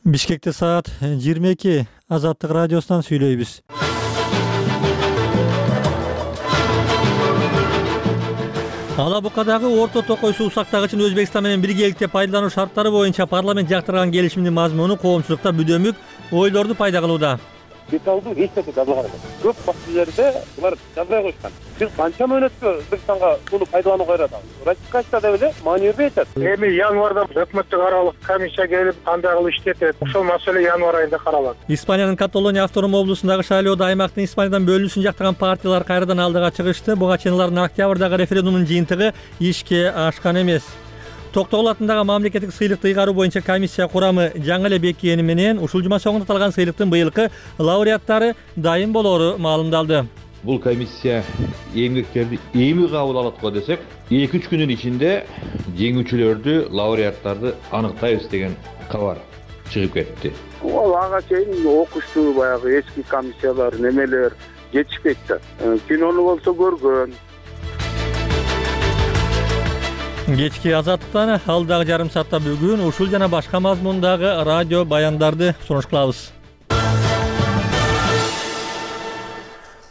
Бишкекте саат 22. Азаттык радиосунан сүйлөйбүз. Ала Букадагы орто токой суу сактагычын Өзбекстан менен биргеликте пайдалануу шарттары боюнча парламент жактырган келишимдин мазмуну коомчулукта бүдөмүк ойлорду пайда кылууда. Деталдуу эч нерсе жазылган эмес. Көп фактилерде булар жазбай койгон. Биз канча мөөнөткө Өзбекстанга сууну пайдаланууга кайратабыз? Ратификация деп эле маани бербей атат. Эми январда өкмөттүк аралык комиссия келип кандай кылып иштетет? Ошол маселе январ айында каралат. Испаниянын Каталония автоном облусундагы шайлоодо аймактын Испаниядан бөлүнүшүн жактаган партиялар кайрадан алдыга чыгышты. Буга чейин алардын октябрдагы референдумдун жыйынтыгы ишке ашкан эмес. Токтогул атындагы мамлекеттик сыйлыкты ыйгаруу боюнча комиссия курамы жаңы эле бекигени менен ушул жума соңунда аталган сыйлыктын быйылкы лауреаттары дайым болоору маалымдалды. Бул комиссия эмгектерди эми кабыл алат го десек, 2-3 күнүн ичинде жеңүүчүлөрдү, лауреаттарды аныктайбыз деген кабар чыгып кетти. Ал ага чейин окуштуу баягы эски комиссиялар немелер жетишпейт да. Кинону болсо көргөн. Кечки Азаттыктан алдагы жарым саатта бүгүн ушул жана башка мазмундагы радио баяндарды сунуш кылабыз.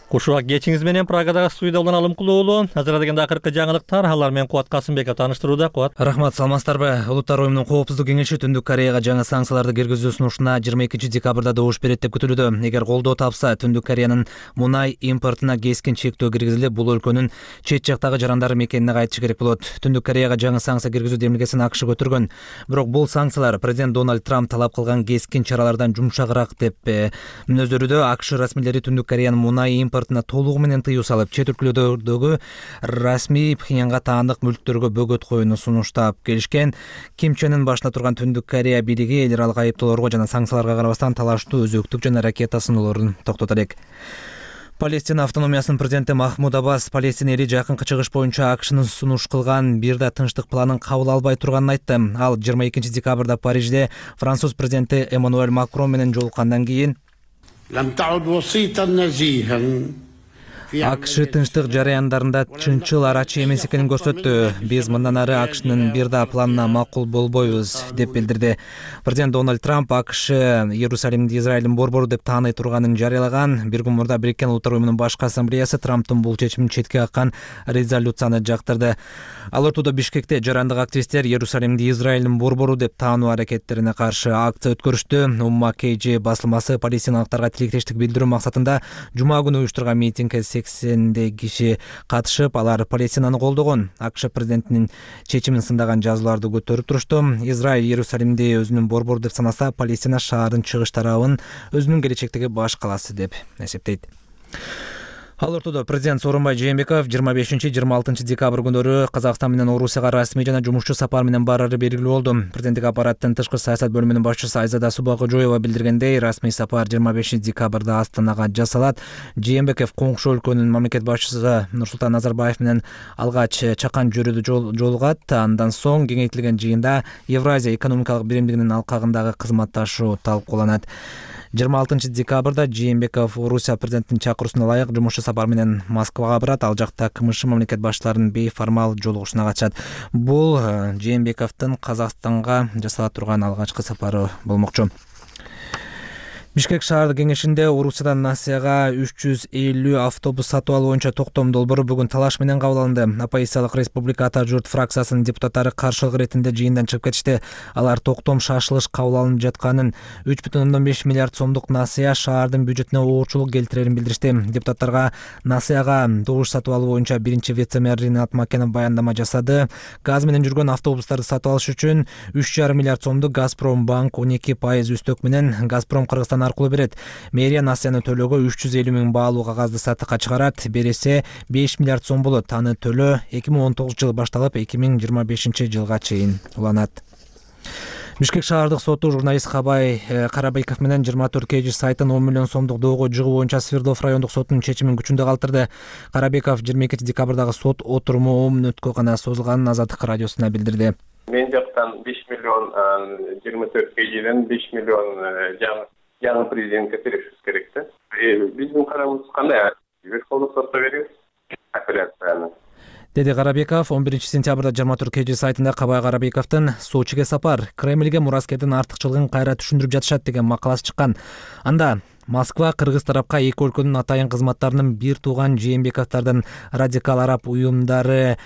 Кушубак кечиңиз менен Прагадагы студияда улан Алымкул уулу. Азырда дегенде акыркы жаңылыктар, алар менен Кубат Касымбеков тааныштырууда. Кубат. Рахмат, саламатсыздарбы? Улуттар уюмунун коопсуздук кеңеши Түндүк Кореяга жаңы санкцияларды киргизүү сунушуна 22 декабрда добуш берет деп күтүлүүдө. Эгер колдоо тапса, Түндүк Кореянын мунай импортуна кескин чектөө киргизилип, бул өлкөнүн чет жактагы жарандары мекенине кайтышы керек болот. Түндүк Кореяга жаңы санкция киргизүү демилгесин АКШ көтөргөн. Бирок бул санкциялар президент Дональд Трамп талап кылган кескин чаралардан жумшагыраак деп мүнөздөрүдө. АКШ расмийлери Түндүк Кореянын мунай импортуна толугу менен тыюу салып, чет өлкөлөрдөгү расмий Пхеньянга таандык мүлктөргө бөгөт коюуну сунуштап келишкен. Ким Чен Ын башында турган Түндүк Корея бийлиги эл аралык айыптоолорго жана санкцияларга карабастан талаштуу өзөктүк жана ракета сыноолорун токтото элек. Палестина автономиясынын президенти Махмуд Аббас Палестина эли жакынкы чыгыш боюнча АКШнын сунуш кылган бир да тынчтык планын кабыл албай турганын айтты. Ал 22 декабрда Парижде француз президенти Эммануэль Макрон менен жолуккандан кийин АКШ тынчтык жараяндарында чынчыл арачы эмес экенин көрсөттү. Биз мындан ары АКШнын бир да планына макул болбойбуз деп билдирди. Президент Дональд Трамп АКШ Иерусалимди Израилдин борбору деп тааный турганын жарыялаган. Бир күн мурда Бириккен Улуттар уюмунун башкы ассамблеясы Трамптын бул чечимин четке каккан резолюцияны жактырды. Ал ортодо Бишкекте жарандык активисттер Иерусалимди Израилдин борбору деп таануу аракеттерине каршы акция өткөрүштү. Умма KG басылмасы палестиналыктарга тилектештик билдирүү максатында жума күнү уюштурган митингге 80 киши катышып, алар Палестинаны колдогон. АКШ президентинин чечимин сындаган жазууларды көтөрүп турушту. Израиль Иерусалимди өзүнүн борбору деп санаса, Палестина шаардын чыгыш тарабын өзүнүн келечектеги баш калаасы деп эсептейт. Ал ортодо президент Сооронбай Жээнбеков 25-26 декабрь күндөрү Казакстан менен Орусияга расмий жана жумушчу сапар менен барары белгилүү болду. Президенттик аппараттын тышкы саясат бөлүмүнүн башчысы Айзада Субакожоева билдиргендей, расмий сапар 25 декабрда Астанага жасалат. Жээнбеков коңшу өлкөнүн мамлекет башчысы Нурсултан Назарбаев менен алгач чакан жөрүдө жолугат. Андан соң кеңейтилген жыйында Евразия экономикалык биримдигинин алкагындагы кызматташуу талкууланат. 26 декабрда Жээнбеков Орусия президентинин чакыруусуна ылайык жумушчу сапар менен Москвага барат. Ал жакта КМШ мамлекет башчыларынын бейформал жолугушуна катышат. Бул Жээнбековдун Казакстанга жасала турган алгачкы сапары болмокчу. Бишкек шаардык кеңешинде Орусиядан Насияга 350 автобус сатып алуу боюнча токтом долбоору бүгүн талаш менен кабыл алынды. Оппозициялык Республика Ата журт фракциясынын депутаттары каршылык иретинде жыйындан чыгып кетишти. Алар токтом шашылыш кабыл алынып жатканын, 3,5 миллиард сомдук Насия шаардын бюджетине оорчулук келтирерин билдиришти. Депутаттарга Насияга добуш сатып алуу боюнча биринчи вице-мэр Ринат Макенов баяндама жасады. Газ менен жүргөн автобустарды сатып алыш үчүн 3,5 миллиард сомду Газпромбанк 12% үстөк менен Газпром Кыргызстан аркылуу берет. Мэрия Насияны төлөөгө 350 миң баалуу кагазды сатыкка чыгарат. Бересе 5 миллиард сом болот. Аны төлөө 2019 жылы башталып 2025 жылга чейин уланат. Бишкек шаардык соту журналист Кабай Карабеков менен 24 KG сайтын 10 миллион сомдук доого жыгуу боюнча Свердлов райондук сотунун чечимин күчүндө калтырды. Карабеков 22 декабрдагы сот отуруму 10 мүнөткө гана созулганын Азаттык радиосуна билдирди. Мен жактан 5 миллион 24 KGден 5 миллион жаңы президентке беришибиз керек да. Биздин карарыбыз кандай? Верховный сотто беребиз апелляцияны. деди Карабеков. 11-сентябрда 24 KG сайтында Кабай Карабековдун Сочиге сапар, Кремльге мураскердин артыкчылыгын кайра түшүндүрүп жатышат деген макаласы чыккан. Анда Москва кыргыз тарапка эки өлкөнүн атайын кызматтарынын бир тууган Жээнбековдордун радикал араб уюмдары,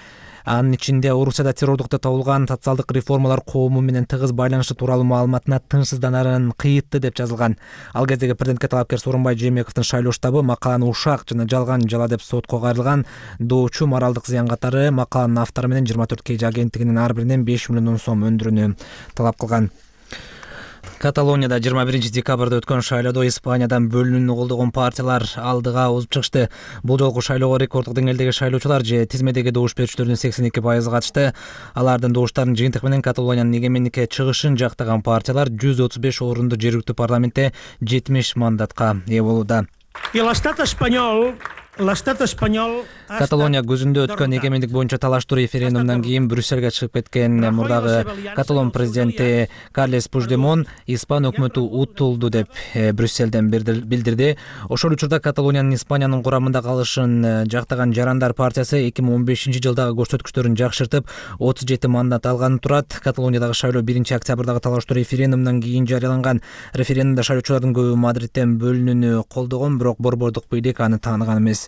анын ичинде Орусияда террордукта табылган социалдык реформалар коому менен тыгыз байланышы тууралуу маалыматына тынчсызданарын кыйытты деп жазылган. Ал кездеги президентке талапкер Сооронбай Жээнбековдун шайлоо штабы макаланы ушак жана жалган жала деп сотко кайрылган. Доочу моралдык зыян катары макаланын автору менен 24 KG агенттигинин ар биринен 5 миллион сом өндүрүүнү талап кылган. Каталонияда 21 декабрда өткөн шайлоодо Испаниядан бөлүнүүнү колдогон партиялар алдыга озуп чыгышты. Бул жолку шайлоого рекорддук деңгээлдеги шайлоочулар же тизмедеги добуш берүүчүлөрдүн 82% катышты. Алардын добуштарынын жыйынтыгы менен Каталониянын эгеменникке чыгышын жактаган партиялар 135 орунду жергиликтүү парламентте 70 мандатка ээ болууда. Каталония көзүндө өткөн эгемендик боюнча талаштуу референдумдан кийин Брюссельге чыгып кеткен мурдагы Каталон президенти Карлес Пучдемон Испан өкмөтү утулду деп Брюссельден билдирди. Ошол учурда Каталониянын Испаниянын курамында калышын жактаган Жарандар партиясы 2015-жылдагы көрсөткүчтөрүн жакшыртып 37 мандат алган турат. Каталониядагы шайлоо 1-октябрдагы талаштуу референдумдан кийин жарыяланган. Референдумда шайлоочулардын көбү Мадриттен бөлүнүүнү колдогон, бирок борбордук бийлик аны тааныган эмес.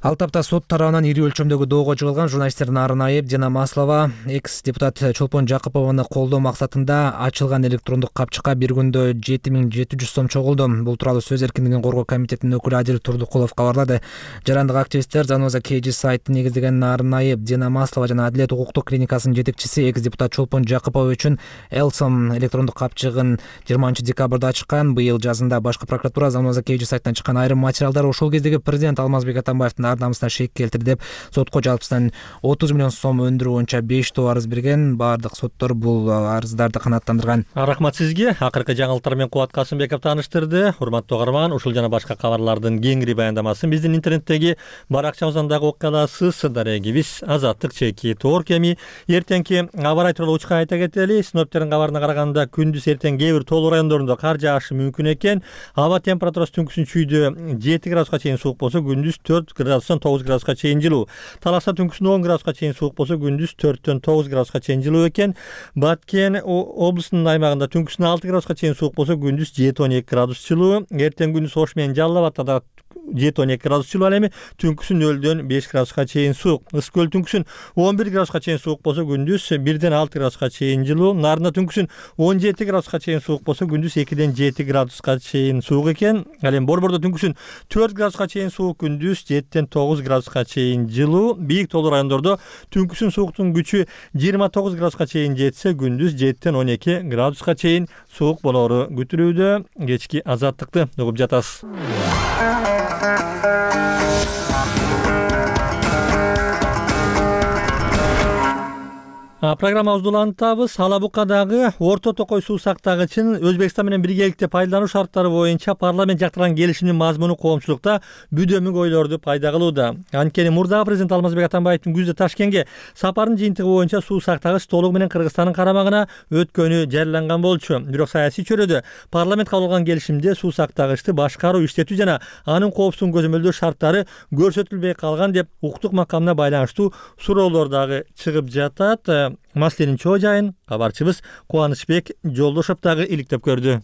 Ал тапта сот тарабынан ири өлчөмдөгү доого жыгылган журналисттердин арын айып Дина Маслова экс-депутат Чолпон Жакыпованы колдоо максатында ачылган электрондук капчыкка бир күндө 7700 сом чогулду. Бул тууралуу сөз эркиндигин коргоо комитетинин өкүлү Адил Турдукулов кабарлады. Жарандык активисттер Заноза KG сайтын негиздеген арын айып Дина Маслова жана Адилет укуктук клиникасынын жетекчиси экс-депутат Чолпон Жакыпов үчүн Элсом электрондук капчыгын 20 декабрда ачкан. Быйыл жазында башкы прокуратура Заноза KG сайтынан чыккан айрым материалдар ошол кездеги президент Алмазбек Атамбаевдин ар намысына шек келтирди деп сотко жалпысынан 30 миллион сом өндүрүү боюнча 5 арыз берген. Баардык соттор бул арыздарды канааттандырган. Рахмат сизге. Акыркы жаңылыктар менен Кубат Касымбеков тааныштырды. Урматтуу угарман, ушул жана башка кабарлардын кеңири баяндамасын биздин интернеттеги баракчабыздан дагы окуй аласыз. Дарегибиз Азаттык чеки Тоор кеми. Эртеңки аба ырайы тууралуу учка айта кетели. Синоптиктердин кабарына караганда күндүз эртең кээ бир тоолуу райондорунда кар жаашы мүмкүн экен. Аба температурасы түнкүсүн чүйдө 7 градуска чейин суук болсо, күндүз 4 градустан 9 градуска чейин жылуу. Таласта түнкүсүн 10 градуска чейин суук болсо, күндүз 4төн 9 градуска чейин жылуу экен. Баткен облусунун аймагында түнкүсүн 6 градуска чейин суук болсо, күндүз 7-12 градус жылуу. Эртең күндүз Ош менен Жалал Абадта да 7-12 градус жылуу, ал эми түнкүсүн 0дөн 5 градуска чейин суук. Ысык көл түнкүсүн 11 градуска чейин суук болсо, күндүз 1ден 6 градуска чейин жылуу. Нарында түнкүсүн 17 градуска чейин суук болсо, күндүз 2ден 7 градуска чейин суук экен. Ал эми Борбордо түнкүсүн 4 градуска чейин суук, күндүз 7ден 9 градуска чейин жылуу. Бийик тоолуу райондордо түнкүсүн сууктун күчү 29 градуска чейин жетсе, күндүз 7ден 12 градуска чейин суук болору күтүлүүдө. Кечки азаттыкты угуп жатасыз. Программабызды улантабыз. Алабукадагы Орто Токой суу сактагычын Өзбекстан менен биргеликте пайдалануу шарттары боюнча парламент жактырган келишимдин мазмуну коомчулукта бүдөмүк ойлорду пайда кылууда. Анткени мурдагы президент Алмазбек Атамбаевдин күздө Ташкентке сапарынын жыйынтыгы боюнча суу сактагыч толугу менен Кыргызстандын карамагына өткөнү жарыяланган болчу. Бирок саясий чөйрөдө парламент кабыл кылган келишимде суу сактагычты башкаруу, иштетүү жана анын коопсуздугун көзөмөлдөө шарттары көрсөтүлбөй калган деп укуктук макамына байланыштуу суроолор дагы чыгып жатат. Маселенин чоо жайын кабарчыбыз Кубанычбек Жолдошов дагы иликтеп көрдү.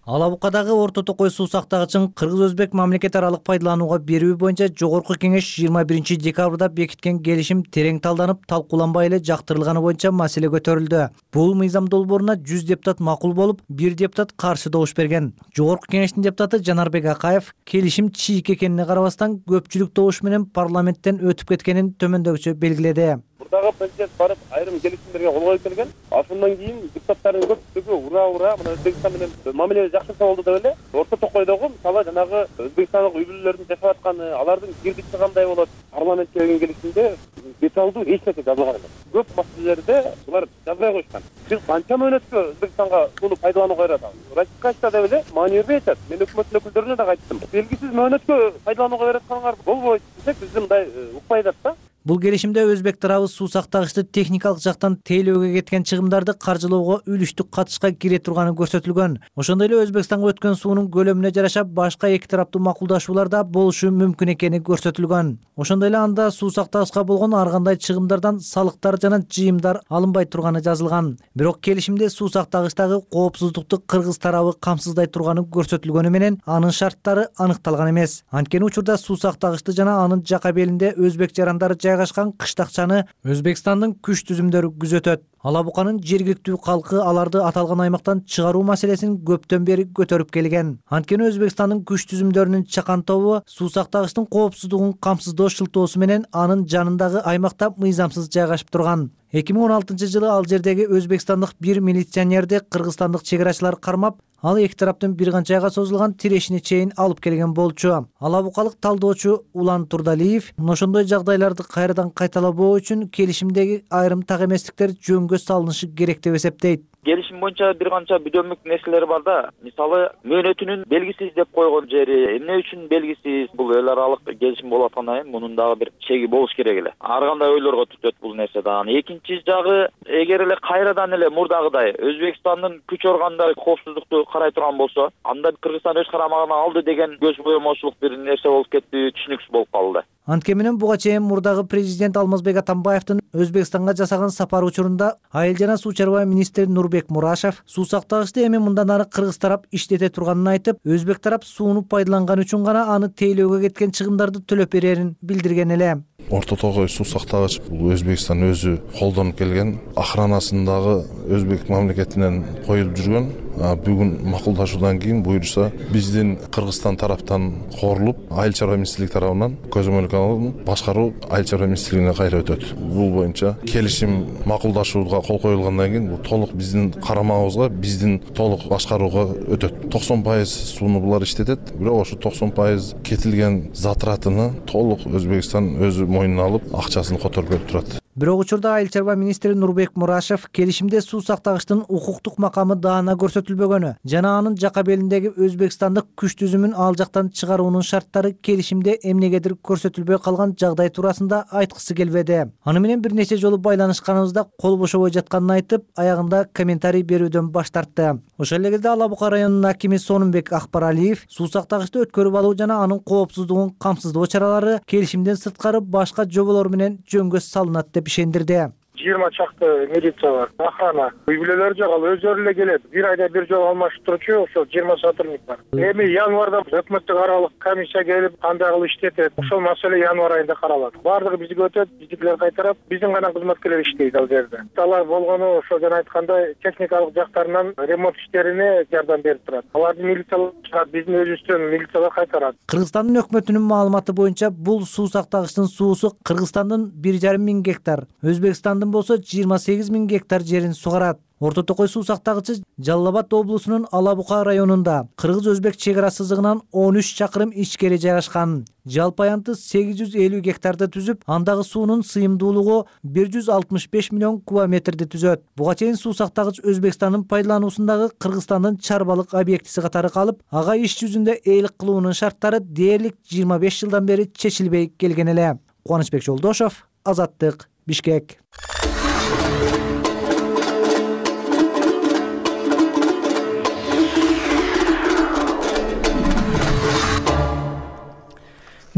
Алабукадагы Орто Токой суу сактагычын кыргыз-өзбек мамлекет аралык пайдаланууга берүү боюнча Жогорку Кеңеш 21 декабрда бекиткен келишим терең талданып, талкууланбай эле жактырылганы боюнча маселе көтөрүлдү. Бул мыйзам долбооруна 100 депутат макул болуп, 1 депутат каршы добуш берген. Жогорку Кеңештин депутаты Жанарбек Акаев келишим чийик экенине карабастан көпчүлүк добуш менен парламенттен өтүп кеткенин төмөндөгүчө белгиледи. Мурдагы президент барып айрым келишимдерге кол коюп келген. Ошондон кийин депутаттардын көпчүлүгү ура Өзбекстан менен мамиле жакшырса болду деп эле. Орто Токойдогу мисалы жанагы өзбекстандык үй бүлөлөрдүн жашап атканы, алардын кирдичи кандай болот, парламентке келген келишимде деталдуу эч нерсе жазылган эмес. Көп маселелерде булар жазбай койушкан. Биз канча мөөнөткө Өзбекстанга сууну пайдаланууга беребиз? Ратификация деп эле маани бербей атат. Мен өкмөттүн өкүлдөрүнө да айттым. Белгисиз мөөнөткө пайдаланууга берип атканыңар болбойт десек, биз мындай укпай атат да. Бул келишимде өзбек тарабы суу сактагычты техникалык жактан тейлөөгө кеткен чыгымдарды каржылоого үлүштүк катышка кире турганы көрсөтүлгөн. Ошондой эле Өзбекстанга өткөн суунун көлөмүнө жараша башка эки тараптуу макулдашуулар да болушу мүмкүн экени көрсөтүлгөн. Ошондой эле анда суу сактагычка болгон ар кандай чыгымдардан салыктар жана жыйымдар алынбай турганы жазылган. Бирок келишимде суу сактагычтагы коопсуздукту Кыргыз тарабы камсыздай турганы көрсөтүлгөнү менен анын шарттары аныкталган эмес. Анткени учурда суу сактагычты жана анын жака белинде өзбек жарандары жайгашкан кыштакчаны Өзбекстандын күч түзүмдөрү күзөтөт. Ала Буканын жергиликтүү калкы аларды аталган аймактан чыгаруу маселесин көптөн бери көтөрүп келген. Анткени Өзбекстандын күч түзүмдөрүнүн чакан тобу суу сактагычтын коопсуздугун камсыздоо шылтоосу менен анын жанындагы аймакта мыйзамсыз жайгашып турган. 2016-жылы ал жердеги өзбекстандык бир милиционерди кыргызстандык чек арачылар кармап, ал эки тараптын бир канча айга созулган тирешине чейин алып келген болчу. Ала Букалык талдоочу Улан Турдалиев ошондой жагдайларды кайрадан кайталабоо үчүн келишимдеги айрым так эместиктер жөнгө салынышы керек деп эсептейт. Келишим боюнча бир канча бүдөмүк нерселер бар да. Мисалы, мөөнөтүнүн белгисиз деп койгон жери эмне үчүн белгисиз? Бул эл аралык келишим болуп аткандан кийин мунун дагы бир чеги болуш керек эле. Ар кандай ойлорго түтөт бул нерсе дагы. Экинчи жагы, эгер эле кайрадан эле мурдагыдай Өзбекстандын күч органдары коопсуздукту карай турган болсо, анда Кыргызстан өз карамагына алды деген көз боемочулук бир нерсе болуп кетти, түшүнүксүз болуп калды. Анткени менен буга чейин мурдагы президент Алмазбек Атамбаевдин Өзбекстанга жасаган сапары учурунда айыл жана суу чарба министри Нурбек Мурашев суу сактагычты эми мындан ары Кыргыз тарап иштете турганын айтып, өзбек тарап сууну пайдаланган үчүн гана аны тейлөөгө кеткен чыгымдарды төлөп берерин билдирген эле. Орто Тогой суу сактагыч бул Өзбекстан өзү колдонуп келген, охранасындагы Өзбек мамлекетинен коюлуп жүргөн. Бүгүн макулдашуудан кийин буюрса биздин Кыргызстан тараптан корулуп, айыл чарба министрлиги тарабынан көзөмөлгө алынып, башкаруу айыл чарба министрлигине кайра өтөт. Бул боюнча келишим макулдашууга кол коюлгандан кийин бул толук биздин карамагыбызга, биздин толук башкарууга өтөт. 90% сууну булар иштетет, бирок ошо 90% кетилген затратыны толук Өзбекстан өзү мойнуна алып, акчасын которуп берип турат. Бирок учурда айыл чарба министри Нурбек Мурашев келишимде суу сактагычтын укуктук макамы даана көрсөтүлбөгөнү жана анын жака белиндеги өзбекстандык күч түзүмүн ал жактан чыгаруунун шарттары келишимде эмнегедир көрсөтүлбөй калган жагдай туурасында айткысы келбеди. Аны менен бир нече жолу байланышканыбызда кол бошобой жатканын айтып, аягында комментарий берүүдөн баш тартты. Ошол эле кезде Ала Бука районунун акими Сонумбек Акбаралиев суу сактагычты өткөрүп алуу жана анын коопсуздугун камсыздоо чаралары келишимден сырткары башка жоболор менен жөнгө салынат деп ишендирди. 20 чакты милиция бар, охрана. Үй бүлөлөр жок, ал өздөрү эле келет. Бир айда бир жолу алмашып турчу, ошол 20 сотрудник бар. Эми январда өкмөттүк аралык комиссия келип, кандай кылып иштетет, ошол маселе январ айында каралат. Бардыгы бизге өтөт, биздикилер кайтарат, биздин гана кызматкерлер иштейт ал жерде. Алар болгону ошо жана айткандай техникалык жактарынан ремонт иштерине жардам берип турат. Аларды милициялар чыгат, биздин өзүбүздөн милициялар кайтарат. Кыргызстандын өкмөтүнүн маалыматы боюнча бул суу сактагычтын суусу Кыргызстандын 1,5 миң гектар, Өзбекстандын болсо 28 миң гектар жерин сугарат. Орто Токой суу сактагычы Жалал Абад облусунун Ала Бука районунда Кыргыз-Өзбек чек ара сызыгынан 13 чакырым ичкери жайгашкан. Жалпы аянты 850 гектарды түзүп, андагы суунун сыйымдуулугу 165 миллион кубометрди түзөт. Буга чейин суу сактагыч Өзбекстандын пайдалануусундагы Кыргызстандын чарбалык объектиси катары калып, ага иш жүзүндө ээлик кылуунун шарттары дээрлик 25 жылдан бери чечилбей келген эле. Кубанычбек Жолдошов, Азаттык, Бишкек.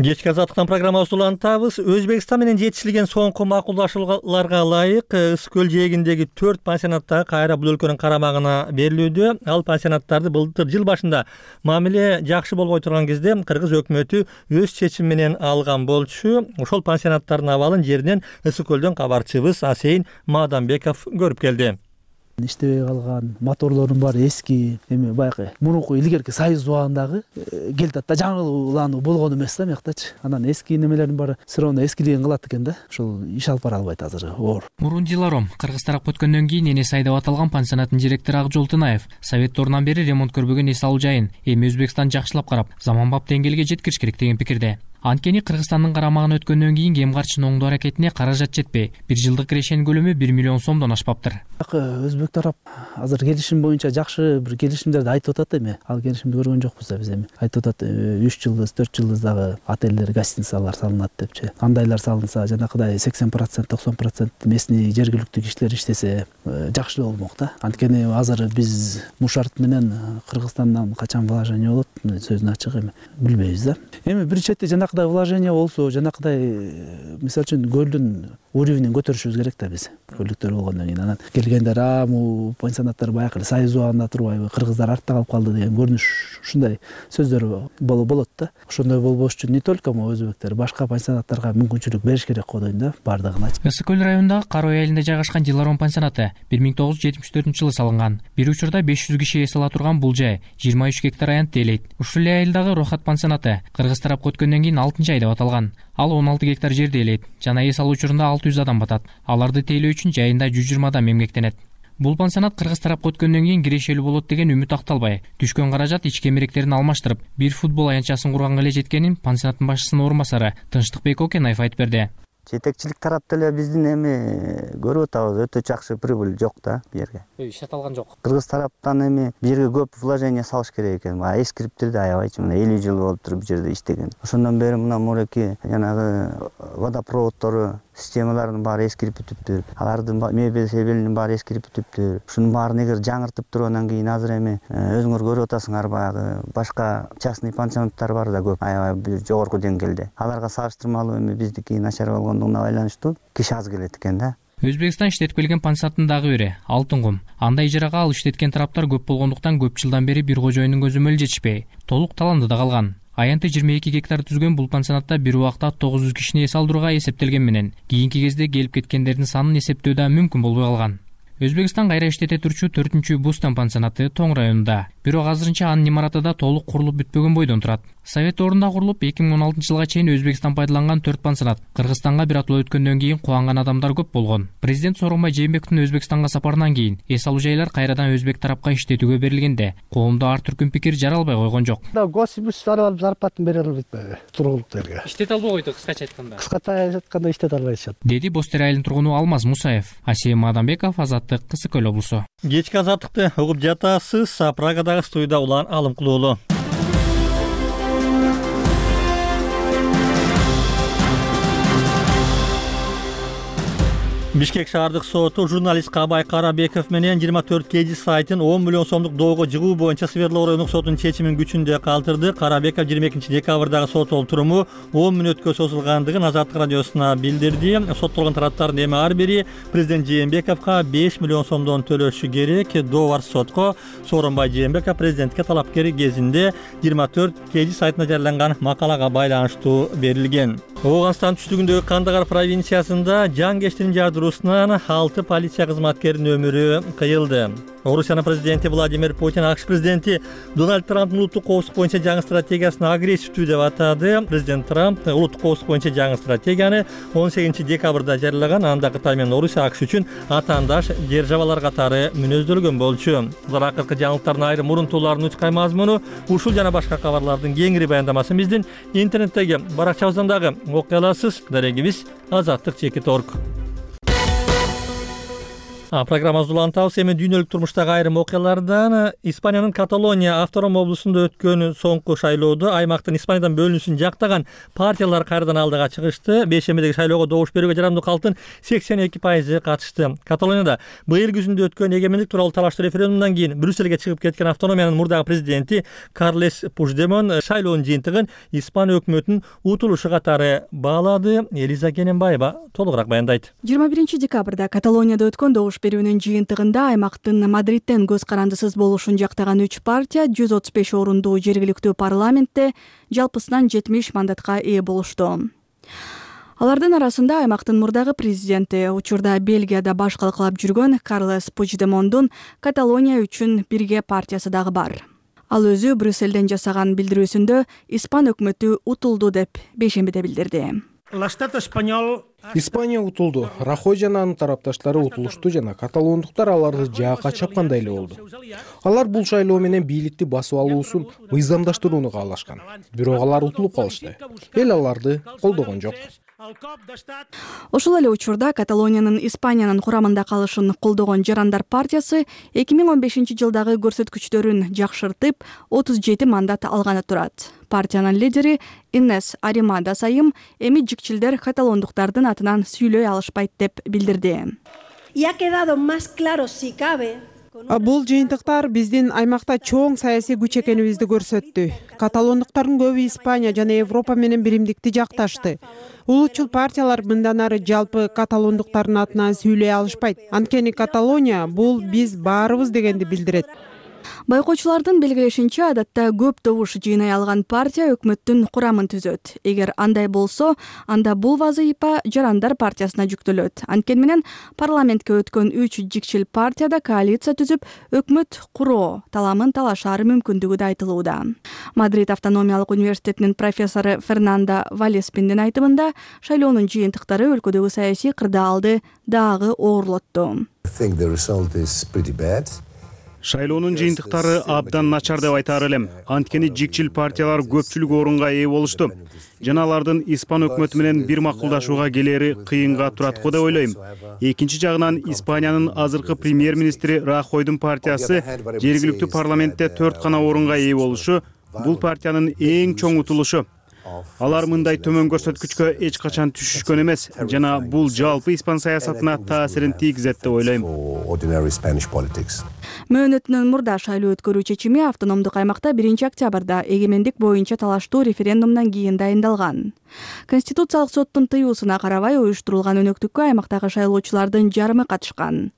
Кечки Азаттыктан программабызды улантабыз. Өзбекстан менен жетишилген соңку макулдашууларга ылайык Ысык көл жээгиндеги 4 пансионаттагы кайра бул өлкөнүн карамагына берилүүдө. Ал пансионаттарды былтыр жыл башында мамиле жакшы болбой турган кезде Кыргыз өкмөтү өз чечими менен алган болчу. Ошол пансионаттардын абалын жеринен Ысык көлдөн кабарчыбыз Асейин Маданбеков көрүп келди. Иштебей калган моторлордун баары эски, эми баягы мурунку илгерки Союз убагындагы келатат да, жаңылануу болгон эмес да мыяктачы. Анан эски немелердин баары сыроонда эскилигин кылат экен да. Ошол иш алып бара албайт азыр оор. Мурун Диларом Кыргыз тарап өткөндөн кийин энеси айдап аталган пансионаттын директору Акжол Тынаев Советторунан бери ремонт көрбөгөн эс алуу жайын эми Өзбекстан жакшылап карап, заманбап деңгээлге жеткириш керек деген пикирде. Анткени Кыргызстандын карамагына өткөндөн кийин кем карчыны оңдоо аракетине каражат жетпей, 1 жылдык кирешенин көлөмү 1 миллион сомдон ашпаптыр. Өзбек тарап азыр келишим боюнча жакшы бир келишимдерди айтып атат эми. Ал келишимди көргөн жокпуз да биз эми. Айтып атат 3 жылдыз, 4 жылдыз дагы отелдер, гостиницалар салынат депчи. Андайлар салынса, жанакыдай 80%, 90% местный жергиликтүү кишилер иштесе жакшы болмок да. Анткени азыр биз Мушарт менен Кыргызстандан качан вложение болот, сөзүн ачык эми билбейбиз да. Эми бир четте жанакыдай вложение болсо, жанакыдай мисалы үчүн көлдүн уровенин көтөрүшүбүз керек да биз. Көлдүктөр болгондон кийин анан келгендер бул пансионаттар баягы эле Союз убагында турбайбы, кыргыздар артта калып калды деген көрүнүш ушундай сөздөр болот да. Ошондой болбош үчүн не только мо өзбектер, башка пансионаттарга мүмкүнчүлүк бериш керек го дейм да, бардыгына. Ысык көл районундагы Карой айылында жайгашкан Диларон пансионаты 1974-жылы салынган. Бир учурда 500 киши эс ала турган бул жай 23 гектар аянтты ээлейт. Ушул эле айылдагы Рохат пансионаты кыргыз тарапка өткөндөн кийин 6-ай деп аталган. Ал 16 гектар жерди ээлейт. Жана эс алуу учурунда 600 адам батат. Аларды тейлөө үчүн жайында 120 адам эмгектенет. Бул пансионат кыргыз тарапка өткөндөн кийин кирешелүү болот деген үмүт акталбай, түшкөн каражат ички эмеректерин алмаштырып, бир футбол аянтчасын курганга эле жеткенин пансионаттын башчысынын орун басары Тынчтыкбек Окенаев айтып берди. Жетекчилик тарапта эле биздин эми көрүп атабыз, өтө жакшы прибыль жок да бу жерге. Иштетилган жок. Кыргыз тараптан эми бу жерге көп вложение салыш керек экен. Эскириптерди аябайчы, мына 50 жыл болуптур бу жерде иштеген. Ошондон бери мына муреки жанагы водопроводдору системалардын баары эскирип бүтүптүр. Алардын мебелинин баары эскирип бүтүптүр. Ушунун баарын эгер жаңыртып тургандан кийин азыр эми өзүңөр көрүп атасыңар, баягы башка частный пансионаттар бар да көп, аябай жогорку деңгээлде. Аларга салыштырмалуу эми биздики начар болгондугуна байланыштуу киши аз келет экен да. Өзбекстан иштетпелген пансионаттын дагы бири Алтын кум. Анда ижарага алып иштеткен тараптар көп болгондуктан көп жылдан бери бир кожоюндун көзөмөлү жетишпей, толук таландыда калган. Аянты 22 гектар түзгөн бул пансионатта бир убакта 900 кишини эс алдырууга эсептелген менен кийинки кезде келип кеткендердин санын эсептөө да мүмкүн болбой калган. Өзбекстан кайра иштете турчу 4-чү Бустан пансионаты Тоң районунда. Бирок азырынча анын имараты да толук курулуп бүтпөгөн бойдон турат. Совет ордунда курулуп 2016-жылга чейин Өзбекстан пайдаланган 4 пансионат. Кыргызстанга бир атуу өткөндөн кийин кубанган адамдар көп болгон. Президент Сооронбай Жээнбековдун Өзбекстанга сапарынан кийин эс алуу жайлар кайрадан өзбек тарапка иштетүүгө берилгенде, коомдо ар түркүн пикир жаралбай койгон жок. Госибус алып зарплатын бере албайт тургунлуктарга. Иштете албай койду кыскача айтканда. Кыскача айтканда иштете албайт. Деди Бостер айылынын тургуну Алмаз Мусаев. Асем Адамбеков, Азаттык, Ысык көл облусу. Кечки азаттыкты угуп жатасыз. Прагадагы студияда Улан Алымкулуулу. Бишкек шаардык соту журналист Кабай Карабеков менен 24 кежи сайтын 10 миллион сомдук доого жыгуу боюнча Свердлов райондук сотунун чечимин күчүндө калтырды. Карабеков 22 декабрдагы сот олтуруму 10 мүнөткө созулгандыгын Азаттык радиосуна билдирди. Соттолгон тараптардын эми ар бири президент Жээнбековго 5 миллион сомдон төлөшү керек. Долбоор сотко Сооронбай Жээнбеков президентке талапкери кезинде 24 кежи сайтына жарыяланган макалага байланыштуу берилген. Ооганстан түштүгүндөгү Кандагар провинциясында жан жардыруусунан 6 полиция кызматкеринин өмүрү кыйылды. Орусиянын президенти Владимир Путин АКШ президенти Дональд Трамптын улуттук коопсуздук боюнча жаңы стратегиясын агрессивдүү деп атады. Президент Трамп улуттук коопсуздук боюнча жаңы стратегияны 18 декабрда жарыялаган. Анда Кытай менен Орусия АКШ үчүн атаандаш державалар катары мүнөздөлгөн болчу. Булар акыркы жаңылыктардын айрым мурунтууларын учкай мазмуну ушул жана башка кабарлардын кеңири баяндамасын биздин интернеттеги баракчабыздан дагы окуй аласыз. Дарегибиз azattik.org. Программабызды улантабыз. Эми дүйнөлүк турмуштагы айрым окуялардан Испаниянын Каталония автоном облусунда өткөн соңку шайлоодо аймактын Испаниядан бөлүнүүсүн жактаган партиялар кайрадан алдыга чыгышты. Бейшембидеги шайлоого добуш берүүгө жарамдуу калктын 82% катышты. Каталонияда быйыл күзүндө өткөн эгемендик тууралуу талаштуу референдумдан кийин Брюссельге чыгып кеткен автономиянын мурдагы президенти Карлес Пучдемон шайлоонун жыйынтыгын Испания өкмөтүнүн утулушу катары баалады. Элиза Кененбаева толугураак баяндайт. 21 декабрда Каталонияда өткөн добуш берүүнүн жыйынтыгында аймактын Мадридтен көз карандысыз болушун жактаган 3 партия 135 орундуу жергиликтүү парламентте жалпысынан 70 мандатка ээ болушту. Алардын арасында аймактын мурдагы президенти, учурда Бельгияда баш калкалап жүргөн Карлес Пучдемондун Каталония үчүн бирге партиясы дагы бар. Ал өзү Брюссельден жасаган билдирүүсүндө Испан өкмөтү утулду деп бейшембиде билдирди. Испания утулду. Рахой жана анын тарапташтары утулушту жана каталондуктар аларды жаакка чапкандай эле болду. Алар бул шайлоо менен бийликти басып алуусун мыйзамдаштырууну каалашкан. Бирок алар утулуп калышты. Эл аларды колдогон жок. Ошол эле учурда Каталониянын Испаниянын курамында калышын колдогон Жарандар партиясы 2015 жылдагы көрсөткүчтөрүн жакшыртып 37 мандат алганы турат. Партиянын лидери Инес Аримадас айым эми жикчилдер каталондуктардын атынан сүйлөй алышпайт деп билдирди. Бул жыйынтыктар биздин аймакта чоң саясий күч экенибизди көрсөттү. Каталондуктардын көбү Испания жана Европа менен биримдикти жакташты. Улутчул партиялар мындан ары жалпы каталондуктардын атынан сүйлөй алышпайт. Анткени Каталония бул биз баарыбыз дегенди билдирет. Байкоочулардын белгилешинче, адатта көп добуш жыйнай алган партия өкмөттүн курамын түзөт. Эгер андай болсо, анда бул вазыйфа Жарандар партиясына жүктөлөт. Анткени менен парламентке өткөн 3 жикчил партияда коалиция түзүп, өкмөт куруу таламын талашаары мүмкүндүгү да айтылууда. Мадрид автономиялык университетинин профессору Фернандо Валеспиндин айтымында, шайлоонун жыйынтыктары өлкөдөгү саясий кырдаалды дагы оорлотту. Шайлоонун жыйынтыктары абдан начар деп айтаар элем. Анткени жикчил партиялар көпчүлүк орунга ээ болушту. Жана алардын Испан өкмөтү менен бир макулдашууга келери кыйынга турат го деп ойлойм. Экинчи жагынан Испаниянын азыркы премьер-министри Рахойдун партиясы жергиликтүү парламентте 4 гана орунга ээ болушу бул партиянын эң чоң утулушу. Алар мындай төмөн көрсөткүчкө эч качан түшүшкөн эмес жана бул жалпы испан саясатына таасирин тийгизет деп ойлойм. Мөөнөтүнөн мурда шайлоо өткөрүү чечими автономдук аймакта 1 октябрда эгемендик боюнча талаштуу референдумдан кийин дайындалган. Конституциялык соттун тыюусуна карабай уюштурулган өнөктүккө аймактагы шайлоочулардын жарымы катышкан.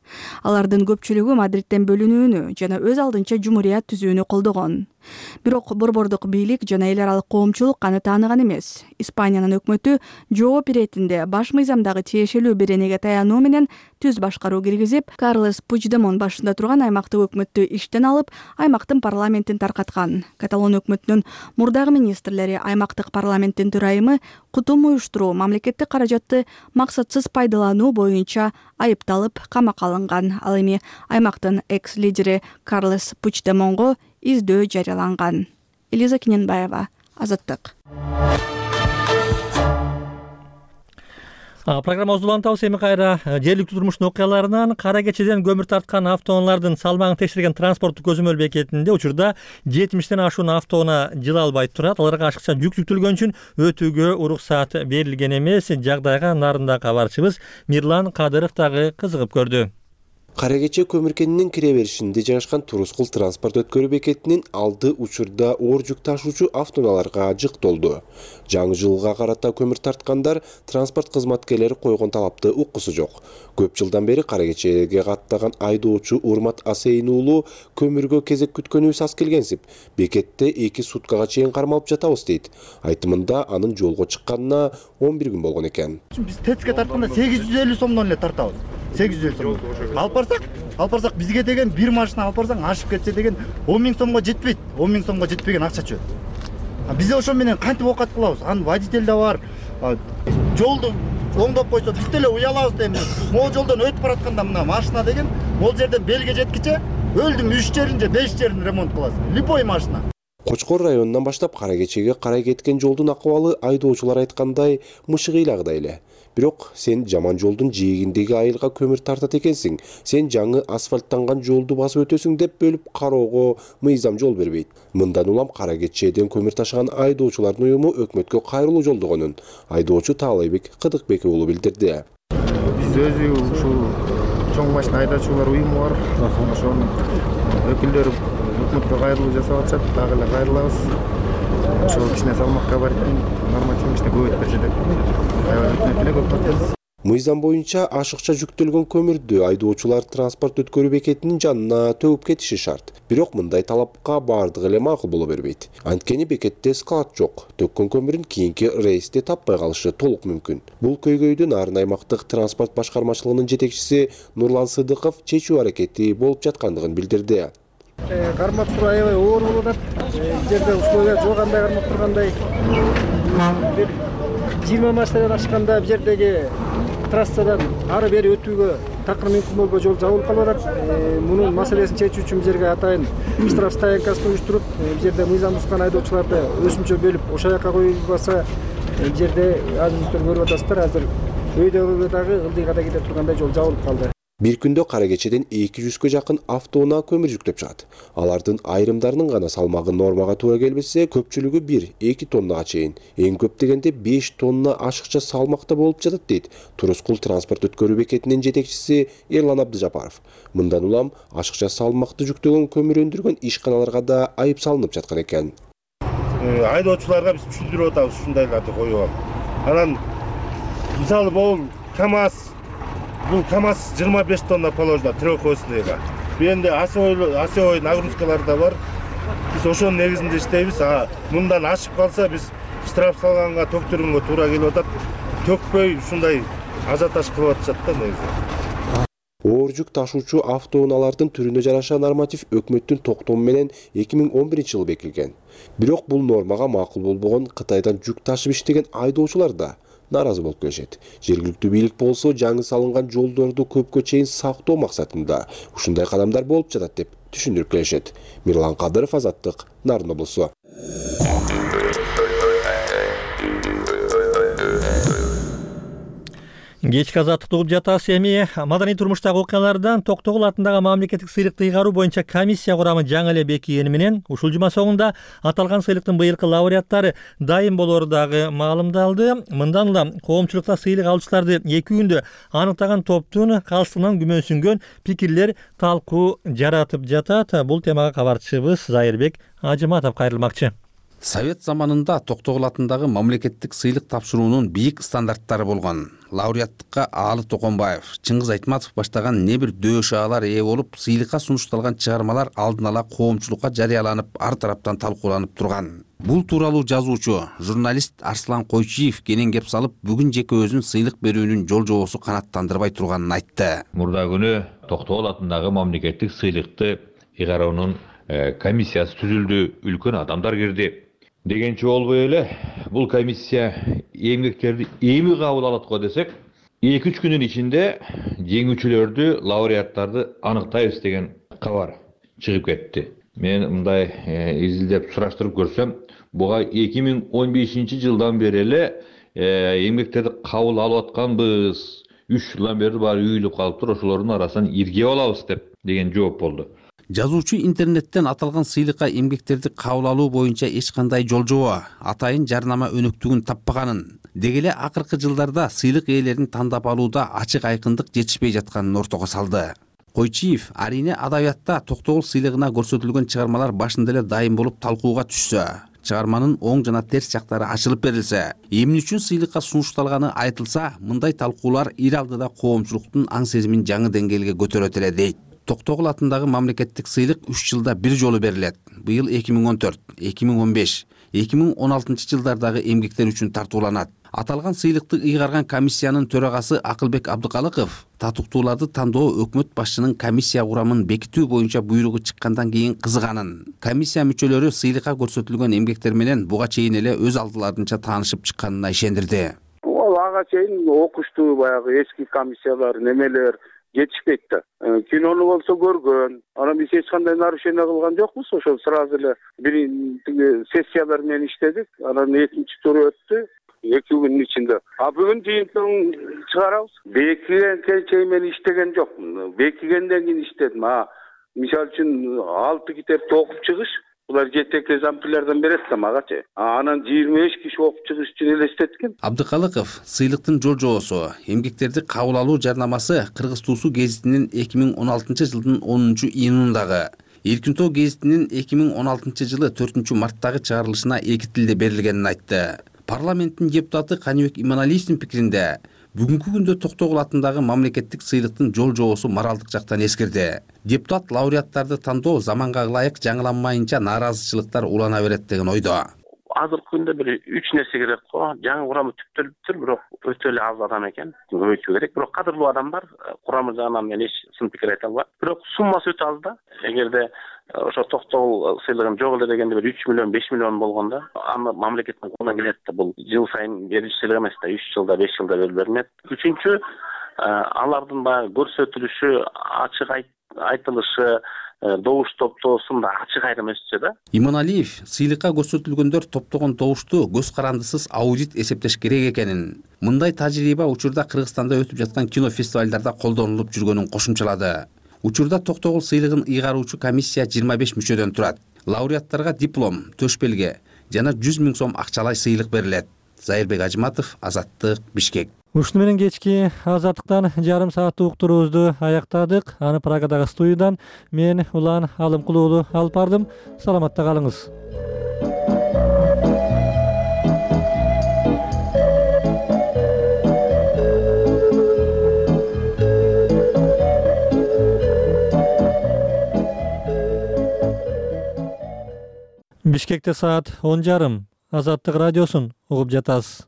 Алардын көпчүлүгү Мадридтен бөлүнүүнү жана өз алдынча жумурият түзүүнү колдогон. Бирок борбордук бийлик жана эл аралык коомчулук аны тааныган эмес. Испаниянын өкмөтү жооп иретинде баш мыйзамдагы тиешелүү беренеге таянуу менен түз башкаруу киргизип, Карлес Пучдемон башында турган аймактык өкмөттү иштен алып, аймактын парламентин таркаткан. Каталон өкмөтүнүн мурдагы министрлери аймактык парламенттин төрайымы кутум уюштуруу, мамлекеттик каражатты максатсыз пайдалануу боюнча айыпталып камакка алынган. Ал эми аймактын экс-лидери Карлес Пучдемонго издөө жарыяланган. Элиза Кененбаева, Азаттык. Программабызды улантабыз. Эми кайра жергиликтүү турмуштун окуяларынан кара кечеден көмүр тарткан автоунаалардын салмагын текшерген транспорттук көзөмөл бекетинде учурда 70ден ашуун автоунаа жыла албай турат. Аларга ашыкча жүк жүктөлгөн үчүн өтүүгө уруксаат берилген эмес. Жагдайга нарында кабарчыбыз Мирлан Кадыров дагы кызыгып көрдү. Кара кече көмүркенинин кире беришинде жайгашкан Турускул транспорт өткөрүү бекетинин алды учурда оор жүк ташуучу автоунааларга жык толду. Жаңы жылга карата көмүр тарткандар транспорт кызматкерлери койгон талапты уккусу жок. Көп жылдан бери кара кечеге каттаган айдоочу Урмат Асейин уулу көмүргө кезек күткөнүбүз аз келгенсип, бекетте 2 суткага чейин кармалып жатабыз дейт. Айтымында анын жолго чыкканына 11 күн болгон экен. Биз ТЭЦке тартканда 850 сомдон эле тартабыз. 850 сом. Алып барсак бизге деген бир машина алып барсаң ашып кетсе деген 10 000 сомго жетпейт. 10 000 сомго жетпеген акча чөп. Биз ошо менен кантип окат кылабыз? Анын водитель да бар. Жолду оңдоп койсо биз деле уялабыз дейм. Могу жолдон өтүп баратканда мына машина деген могу жерден белге жеткиче өлдүм 3 жерин же 5 жерин ремонт кыласың. Любой машина. Кочкор районунан баштап кара кечеге карай кеткен жолдун акыбалы айдоочулар айткандай мышыгыйлагыдай эле. Бирок сен жаман жолдун жээгиндеги айылга көмүр тартат экенсиң, сен жаңы асфальттанган жолду басып өтөсүң деп бөлүп кароого мыйзам жол бербейт. Мындан улам кара кечеден көмүр ташыган айдоочулардын уюму өкмөткө кайрылуу жолдогонун айдоочу Таалайбек Кыдыкбек уулу билдирди. Биз өзү ушул чоң машина айдоочулар уюму бар. Ошонун өкүлдөрү өкмөткө кайрылуу жасап атышат, дагы эле кайрылабыз. Ошол кичине салмакка бар экен, нормативный иште көбөйтүп берсе деп өтүнөт эле көп батабыз. Мыйзам боюнча ашыкча жүктөлгөн көмүрдү айдоочулар транспорт өткөрүү бекетинин жанына төгүп кетиши шарт. Бирок мындай талапка бардыгы эле макул боло бербейт. Анткени бекетте склад жок. Төккөн көмүрүн кийинки рейсте таппай калышы толук мүмкүн. Бул көйгөйдү Нарын аймактык транспорт башкармачылыгынын жетекчиси Нурлан Сыдыков чечүү аракети болуп жаткандыгын билдирди. Кармап туруу аябай оор болуп атат. Жерде условия жок, андай кармап тургандай. 20 машинадан ашканда бул жердеги трассадан ары бери өтүүгө такыр мүмкүн болбой жол жабылып калып атат. Мунун маселесин чечүү үчүн бул жерге атайын штраф стоянкасын уюштуруп, бул жерде мыйзам бузган айдоочуларды өсүмчө бөлүп ошол жака коюлбаса, бул жерде азыр көрүп атасыздар, азыр өйдөгө дагы ылдыйга да кете тургандай жол жабылып калды. Бир күндө кара кечеден 200гө жакын автоунаа көмүр жүктөп чыгат. Алардын айрымдарынын гана салмагы нормага туура келбесе, көпчүлүгү 1-2 тоннага чейин, эң көп дегенде 5 тонна ашыкча салмакта болуп жатат дейт Турускул транспорт өткөрүү бекетинин жетекчиси Эрлан Абдыжапаров. Мындан улам ашыкча салмакты жүктөгөн көмүр өндүргөн ишканаларга да айып салынып жаткан экен. Айдоочуларга биз түшүндүрүп атабыз ушундайларды коюп. Анан мисалы могу Бул КАМАЗ 25 тонна положено трехосныйга. Бенде осевой нагрузкалар да бар. Биз ошонун негизинде иштейбиз. Мындан ашып калса биз штраф салганга төктүрүүгө туура келип атат. Төкпөй ушундай ажиотаж кылып атышат да негизи. Оор жүк ташуучу автоунаалардын түрүнө жараша норматив өкмөттүн токтому менен 2011-жылы бекитилген. Бирок бул нормага макул болбогон Кытайдан жүк ташып иштеген айдоочулар да наразы болуп келишет. Жергиликтүү бийлик болсо жаңы салынган жолдорду көпкө чейин сактоо максатында ушундай кадамдар болуп жатат деп түшүндүрүп келишет. Мирлан Кадыров, Азаттык, Нарын облусу. Кечки азаттыкты угуп жатасыз. Эми маданий турмуштагы окуялардан Токтогул атындагы мамлекеттик сыйлыкты ыйгаруу боюнча комиссия курамы жаңы эле бекигени менен ушул жума соңунда аталган сыйлыктын быйылкы лауреаттары дайым болору дагы маалымдалды. Мындан улам коомчулукта сыйлык алуучуларды 2 күндө аныктаган топтун калыстыгынан күмөнсүнгөн пикирлер талкуу жаратып жатат. Бул темага кабарчыбыз Зайырбек Ажыматов кайрылмакчы. Совет заманында Токтогул атындагы мамлекеттик сыйлык тапшыруунун бийик стандарттары болгон. Лауреаттыкка Аалы Токонбаев, Чыңгыз Айтматов баштаган не бир дөшаалар ээ болуп, сыйлыкка сунушталган чыгармалар алдын ала коомчулукка жарыяланып, ар тараптан талкууланып турган. Бул тууралуу жазуучу, журналист Арслан Койчиев кенен кеп салып, бүгүн жекебөзүн сыйлык берүүнүн жол-жобосу канааттандырбай турганын айтты. Мурда күнү Токтогул атындагы мамлекеттик сыйлыкты ыйгаруунун комиссиясы түзүлдү, үлкөн адамдар кирди. Дегенче болбой эле, бул комиссия эмгектерди эми кабыл алат го десек, 2-3 күнүн ичинде жеңүүчүлөрдү, лауреаттарды аныктайбыз деген кабар чыгып кетти. Мен мындай изилдеп сураштырып көрсөм, буга 2015-жылдан бери эле эмгектерди кабыл алып атканбыз. 3 жылдан бери баары үйүлүп калыптыр, ошолордун арасынан ирге алабыз деген жооп болду. Жазуучу интернеттен аталган сыйлыкка эмгектерди кабыл алуу боюнча эч кандай жол-жобо, атайын жарнама өнөктүгүн таппаганын, деги эле акыркы жылдарда сыйлык ээлерин тандап алууда ачык айкындык жетишпей жатканын ортого салды. Койчиев арине адабиятта Токтогул сыйлыгына көрсөтүлгөн чыгармалар башында эле дайым болуп талкууга түшсө, чыгарманын оң жана терс жактары ачылып берилсе, эмне үчүн сыйлыкка сунушталганы айтылса, мындай талкуулар ир алдыда коомчулуктун аң сезимин жаңы деңгээлге көтөрөт эле дейт. Токтогул атындагы мамлекеттик сыйлык 3 жылда бир жолу берилет. Быйыл 2014, 2015, 2016 жылдардагы эмгектер үчүн тартууланат. Аталган сыйлыкты ыйгарган комиссиянын төрагасы Акылбек Абдыкалыков татыктууларды тандоо өкмөт башчынын комиссия курамын бекитүү боюнча буйругу чыккандан кийин кызыганын, комиссия мүчөлөрү сыйлыкка көрсөтүлгөн эмгектер менен буга чейин эле өз алдыларынча таанышып чыкканына ишендирди. Ал ага чейин окуштуу баягы эски комиссиялар немелер жетишпейт да. Кинону болсо көргөн. Анан биз эч кандай нарушение кылган жокпуз. Ошол сразу эле биринчи сессиялар менен иштедик. Анан экинчи туру өттү 2 күнүн ичинде. Бүгүн жыйынтыгын чыгарабыз. Бекигенге чейин мен иштеген жокмун. Бекигенден кийин иштедим. Мисалы үчүн 6 китепти окуп чыгыш, булар жетек экземплярдан берет да магачы. Анан 25 киши окуп чыгыш үчүн элестеткен. Абдыкалыков сыйлыктын жол-жобосу, эмгектерди кабыл алуу жарнамасы Кыргыз Туусу гезитинин 2016-жылдын 10-июнундагы, Эркин Тоо гезитинин 2016-жылы 4-марттагы чыгарылышына 2 тилде берилгенин айтты. Парламенттин депутаты Каныбек Иманалиевдин пикиринде, бүгүнкү күндө Токтогул атындагы мамлекеттик сыйлыктын жол-жобосу моралдык жактан эскерди. Депутат лауреаттарды тандоо заманга ылайык жаңыланмайынча нааразычылыктар улана берет деген ойдо. Азыркы күндө бир 3 нерсе керек го. Жаңы курамы түптөлүптүр, бирок өтө эле аз адам экен. Көбөйтүү керек. Бирок кадырлуу адам бар. Курамы жагынан мен эч сын пикир айта албайм. Бирок суммасы өтө аз да. Эгерде ошо токтогул сыйлыгын жок эле дегенде бир 3 миллион 5 миллион болгон да. Аны мамлекеттин колуна келет да. Бул жыл сайын берилип сыйлык эмес да, 3 жылда 5 жылда берилет. Үчүнчү, алардын баягы көрсөтүлүшү, ачык айтылышы, добуш топтоосунда ачык айрым өтсө да. Иманалиев сыйлыкка көрсөтүлгөндөр топтогон добушту көз карандысыз аудит эсептеш керек экенин, мындай тажрыйба учурда Кыргызстанда өтүп жаткан кино фестивалдарда колдонулуп жүргөнүн кошумчалады. Учурда токтогул сыйлыгын ыйгаруучу комиссия 25 мүчөдөн турат. Лауреаттарга диплом, төш белге жана 100 000 сом акчалай сыйлык берилет. Зайырбек Ажыматов, Азаттык, Бишкек. Ушуну менен кечки Азаттыктан жарым сааттык уктуруубузду аяктадык. Аны Прагадагы студиядан мен Улан Алымкулуу уулу алып бардым. Саламатта калыңыз. Бишкекте саат 10:30. Азаттык радиосун угуп жатасыз.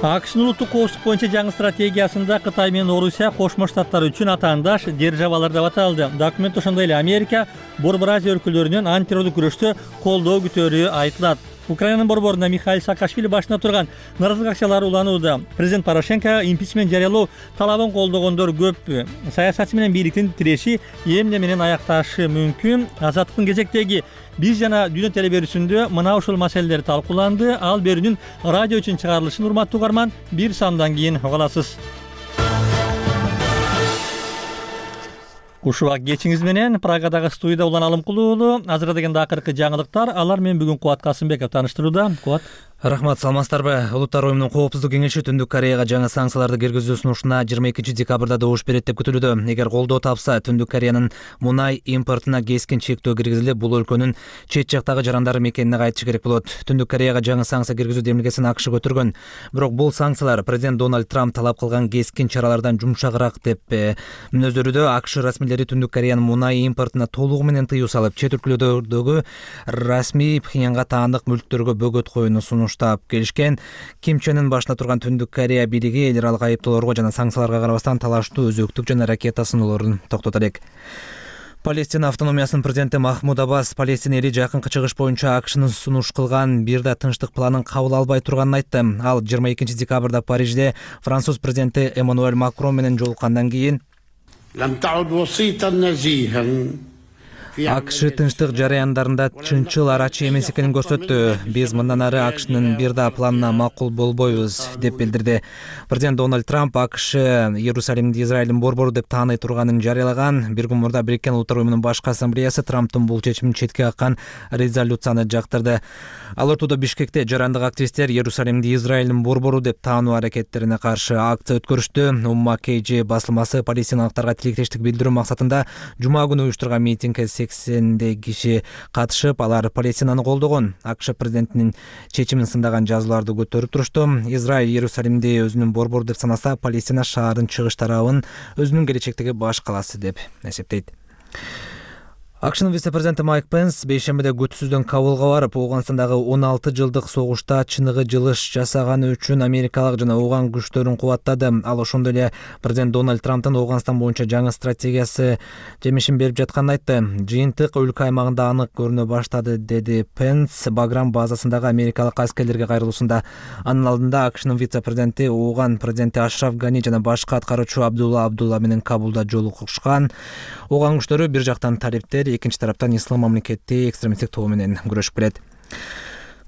АКШнын улуттук коопсуздук боюнча жаңы стратегиясында Кытай менен Орусия кошмо штаттар үчүн атаандаш державалар деп аталды. Документ ошондой эле Америка, Борбор Азия өлкөлөрүнүн антитеррорлук күрөштө колдоо күтөөрү айтылат. Украинанын борборунда Михаил Саакашвили башына турган нааразылык акциялары уланууда. Президент Порошенко импичмент жарыялоо талабын колдогондор көп. Саясатчы менен бийликтин тиреши эмне менен аякташы мүмкүн? Азаттыктын кезектеги биз жана дүйнө телеберүүсүндө мына ушул маселелер талкууланды. Ал берүүнүн радио үчүн чыгарылышын урматтуу угарман бир сандан кийин угаласыз. Ушул кечиңиз менен Прагадагы студияда Улан Алымкулуу уулу. Азыркы дегенде акыркы жаңылыктар. Алар менен бүгүн Кубат Касымбеков тааныштырууда. Кубат. Рахмат, саламатсыздарбы? Улуттар уюмунун коопсуздук кеңеши Түндүк Кореяга жаңы санкцияларды киргизүү сунушуна 22 декабрда добуш берет деп күтүлүүдө. Эгер колдоо тапса, Түндүк Кореянын мунай импортуна кескин чектөө киргизилип, бул өлкөнүн чет жактагы жарандары мекенине кайтышы керек болот. Түндүк Кореяга жаңы санкция киргизүү демилгесин АКШ көтөргөн. Бирок бул санкциялар президент Дональд Трамп талап кылган кескин чаралардан жумшагыраак деп мүнөздөрүүдө. АКШ расмийлери Түндүк Кореянын мунай импортуна толугу менен тыюу салып, чет өлкөлөрдөгү расмий Пхеньянга таандык мүлктөргө бөгөт коюуну сунуштап келишкен. Ким Чен Ын башына турган Түндүк Корея бийлиги эл аралык айыптоолорго жана санкцияларга карабастан талаштуу өзөктүк жана ракета сыноолорун токтото элек. Палестина автономиясынын президенти Махмуд Аббас Палестина эли жакынкы чыгыш боюнча АКШнын сунуш кылган бир да тынчтык планын кабыл албай турганын айтты. Ал 22 декабрда Парижде француз президенти Эммануэль Макрон менен жолуккандан кийин АКШ тынчтык жараяндарында чынчыл арачы эмес экенин көрсөттү. Биз мындан ары АКШнын бир да планына макул болбойбуз деп билдирди. Президент Дональд Трамп АКШ Иерусалимди Израилдин борбору деп тааный турганын жарыялаган. Бир күн мурда Бириккен Улуттар уюмунун башкы ассамблеясы Трамптын бул чечимин четке каккан резолюцияны жактырды. Ал ортодо Бишкекте жарандык активисттер Иерусалимди Израилдин борбору деп таануу аракеттерине каршы акция өткөрүштү. Умма KG басылмасы палестиналыктарга тилектештик билдирүү максатында жума күнү уюштурган митингге 80 киши катышып, алар Палестинаны колдогон. АКШ президентинин чечимин сындаган жазууларды көтөрүп турушту. Израиль Иерусалимди өзүнүн борбору деп санаса, Палестина шаардын чыгыш тарабын өзүнүн келечектеги баш калаасы деп эсептейт. АКШнын вице-президенти Майк Пенс бейшембиде күтүүсүздөн Кабулга барып, Ооганстандагы 16 жылдык согушта чыныгы жылыш жасаганы үчүн америкалык жана Ооган күчтөрүн кубаттады. Ал ошондой эле президент Дональд Трамптын Ооганстан боюнча жаңы стратегиясы жемишин берип жатканын айтты. Жыйынтык өлкө аймагында анык көрүнө баштады, деди Пенс Баграм базасындагы америкалык аскерлерге кайрылуусунда. Анын алдында АКШнын вице-президенти Ооган президенти Ашраф Гани жана башкы аткаруучу Абдулла Менен Кабулда жолугушкан. Ооган күчтөрү бир жактан талиптер, экинчи тараптан ислам мамлекети экстремисттик тобу менен күрөшүп келет.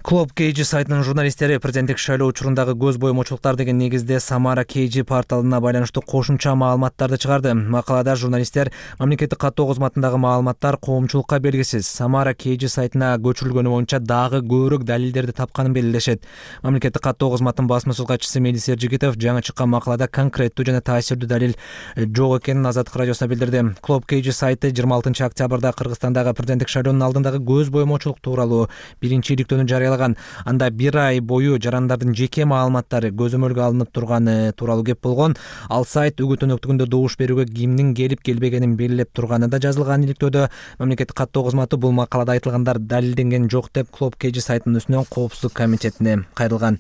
Club KG сайтынын журналисттери президенттик шайлоо учурундагы көз боемочулуктар деген негизде Самара KG порталына байланыштуу кошумча маалыматтарды чыгарды. Макалада журналисттер мамлекеттик каттоо кызматындагы маалыматтар коомчулукка белгисиз. Самара KG сайтына көчүрүлгөнү боюнча дагы көбүрөөк далилдерди тапканын белгилешет. Мамлекеттик каттоо кызматынын басма сөз катчысы Мелис Эржигитов жаңы чыккан макалада конкреттүү жана таасирдүү далил жок экенин Азаттык радиосуна билдирди. Club KG сайты 26 октябрда Кыргызстандагы президенттик шайлоонун алдындагы көз боемочулук тууралуу биринчи иликтөөнү жарыялаган. Анда бир ай бою жарандардын жеке маалыматтары көзөмөлгө алынып турганы тууралуу кеп болгон. Ал сайт үгүт өнөктүгүндө добуш берүүгө кимдин келип келбегенин белгилеп турганы да жазылган. Иликтөөдө мамлекеттик каттоо кызматы бул макалада айтылгандар далилденген жок деп Club KG сайтынын үстүнөн коопсуздук комитетине кайрылган.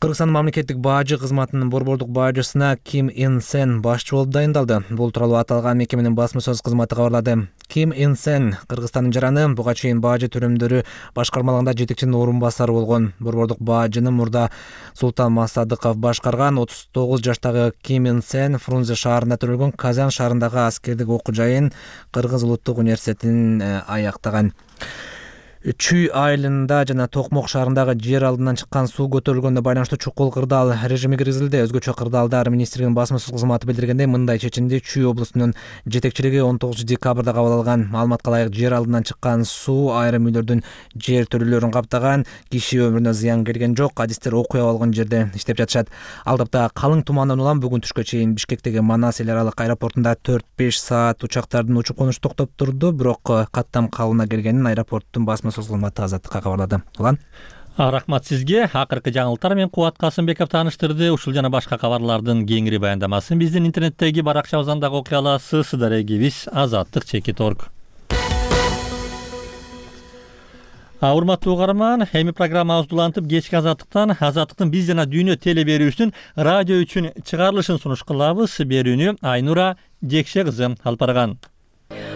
Кыргызстан мамлекеттик бажы кызматынын борбордук бажысына Ким Ин Сен башчы болуп дайындалды. Бул тууралуу аталган мекеменин басма сөз кызматы кабарлады. Ким Ин Сен Кыргызстандын жараны, буга чейин бажы төрөмдөрү башкармалыгында жетекчинин орун басары болгон. Борбордук бажыны мурда Султан Масадыков башкарган. 39 жаштагы Ким Ин Сен Фрунзе шаарында төрөлгөн Казан шаарындагы аскердик окуу жайын Кыргыз улуттук университетин аяктаган. Чүй айылында жана Токмок шаарындагы жер алдынан чыккан суу көтөрүлгөндө байланыштуу чукул кырдаал режими киргизилди. Өзгөчө кырдаалдар министрлигинин басма сөз кызматы билдиргендей, мындай чечимди Чүй облусунун жетекчилиги 19 декабрда кабыл алган. Маалыматка ылайык, жер алдынан чыккан суу айрым үйлөрдүн жер төрөлөрүн каптаган, киши өмүрүнө зыян келген жок. Адистер окуя болгон жерде иштеп жатышат. Алдапта калың тумандан улам бүгүн түшкө чейин Бишкектеги Манас эл аралык аэропортунда 4-5 саат учактардын учуп конушу токтоп турду, бирок каттам калыбына келгенин аэропорттун басма сөз кызматы Азаттыкка кабарлады. Улан. Рахмат сизге. Акыркы жаңылыктар менен Кубат Касымбеков тааныштырды. Ушул жана башка кабарлардын кеңири баяндамасын биздин интернеттеги баракчабыздан дагы окуя аласыз. Сыздар эгибиз azattik.org. Урматтуу угарман, эми программабыз улантып, кечки Азаттыктын биз жана дүйнө теле берүүсүнүн радио үчүн чыгарылышын сунуш кылабыз. Берүүнү Айнура Жекше кызы алып барган.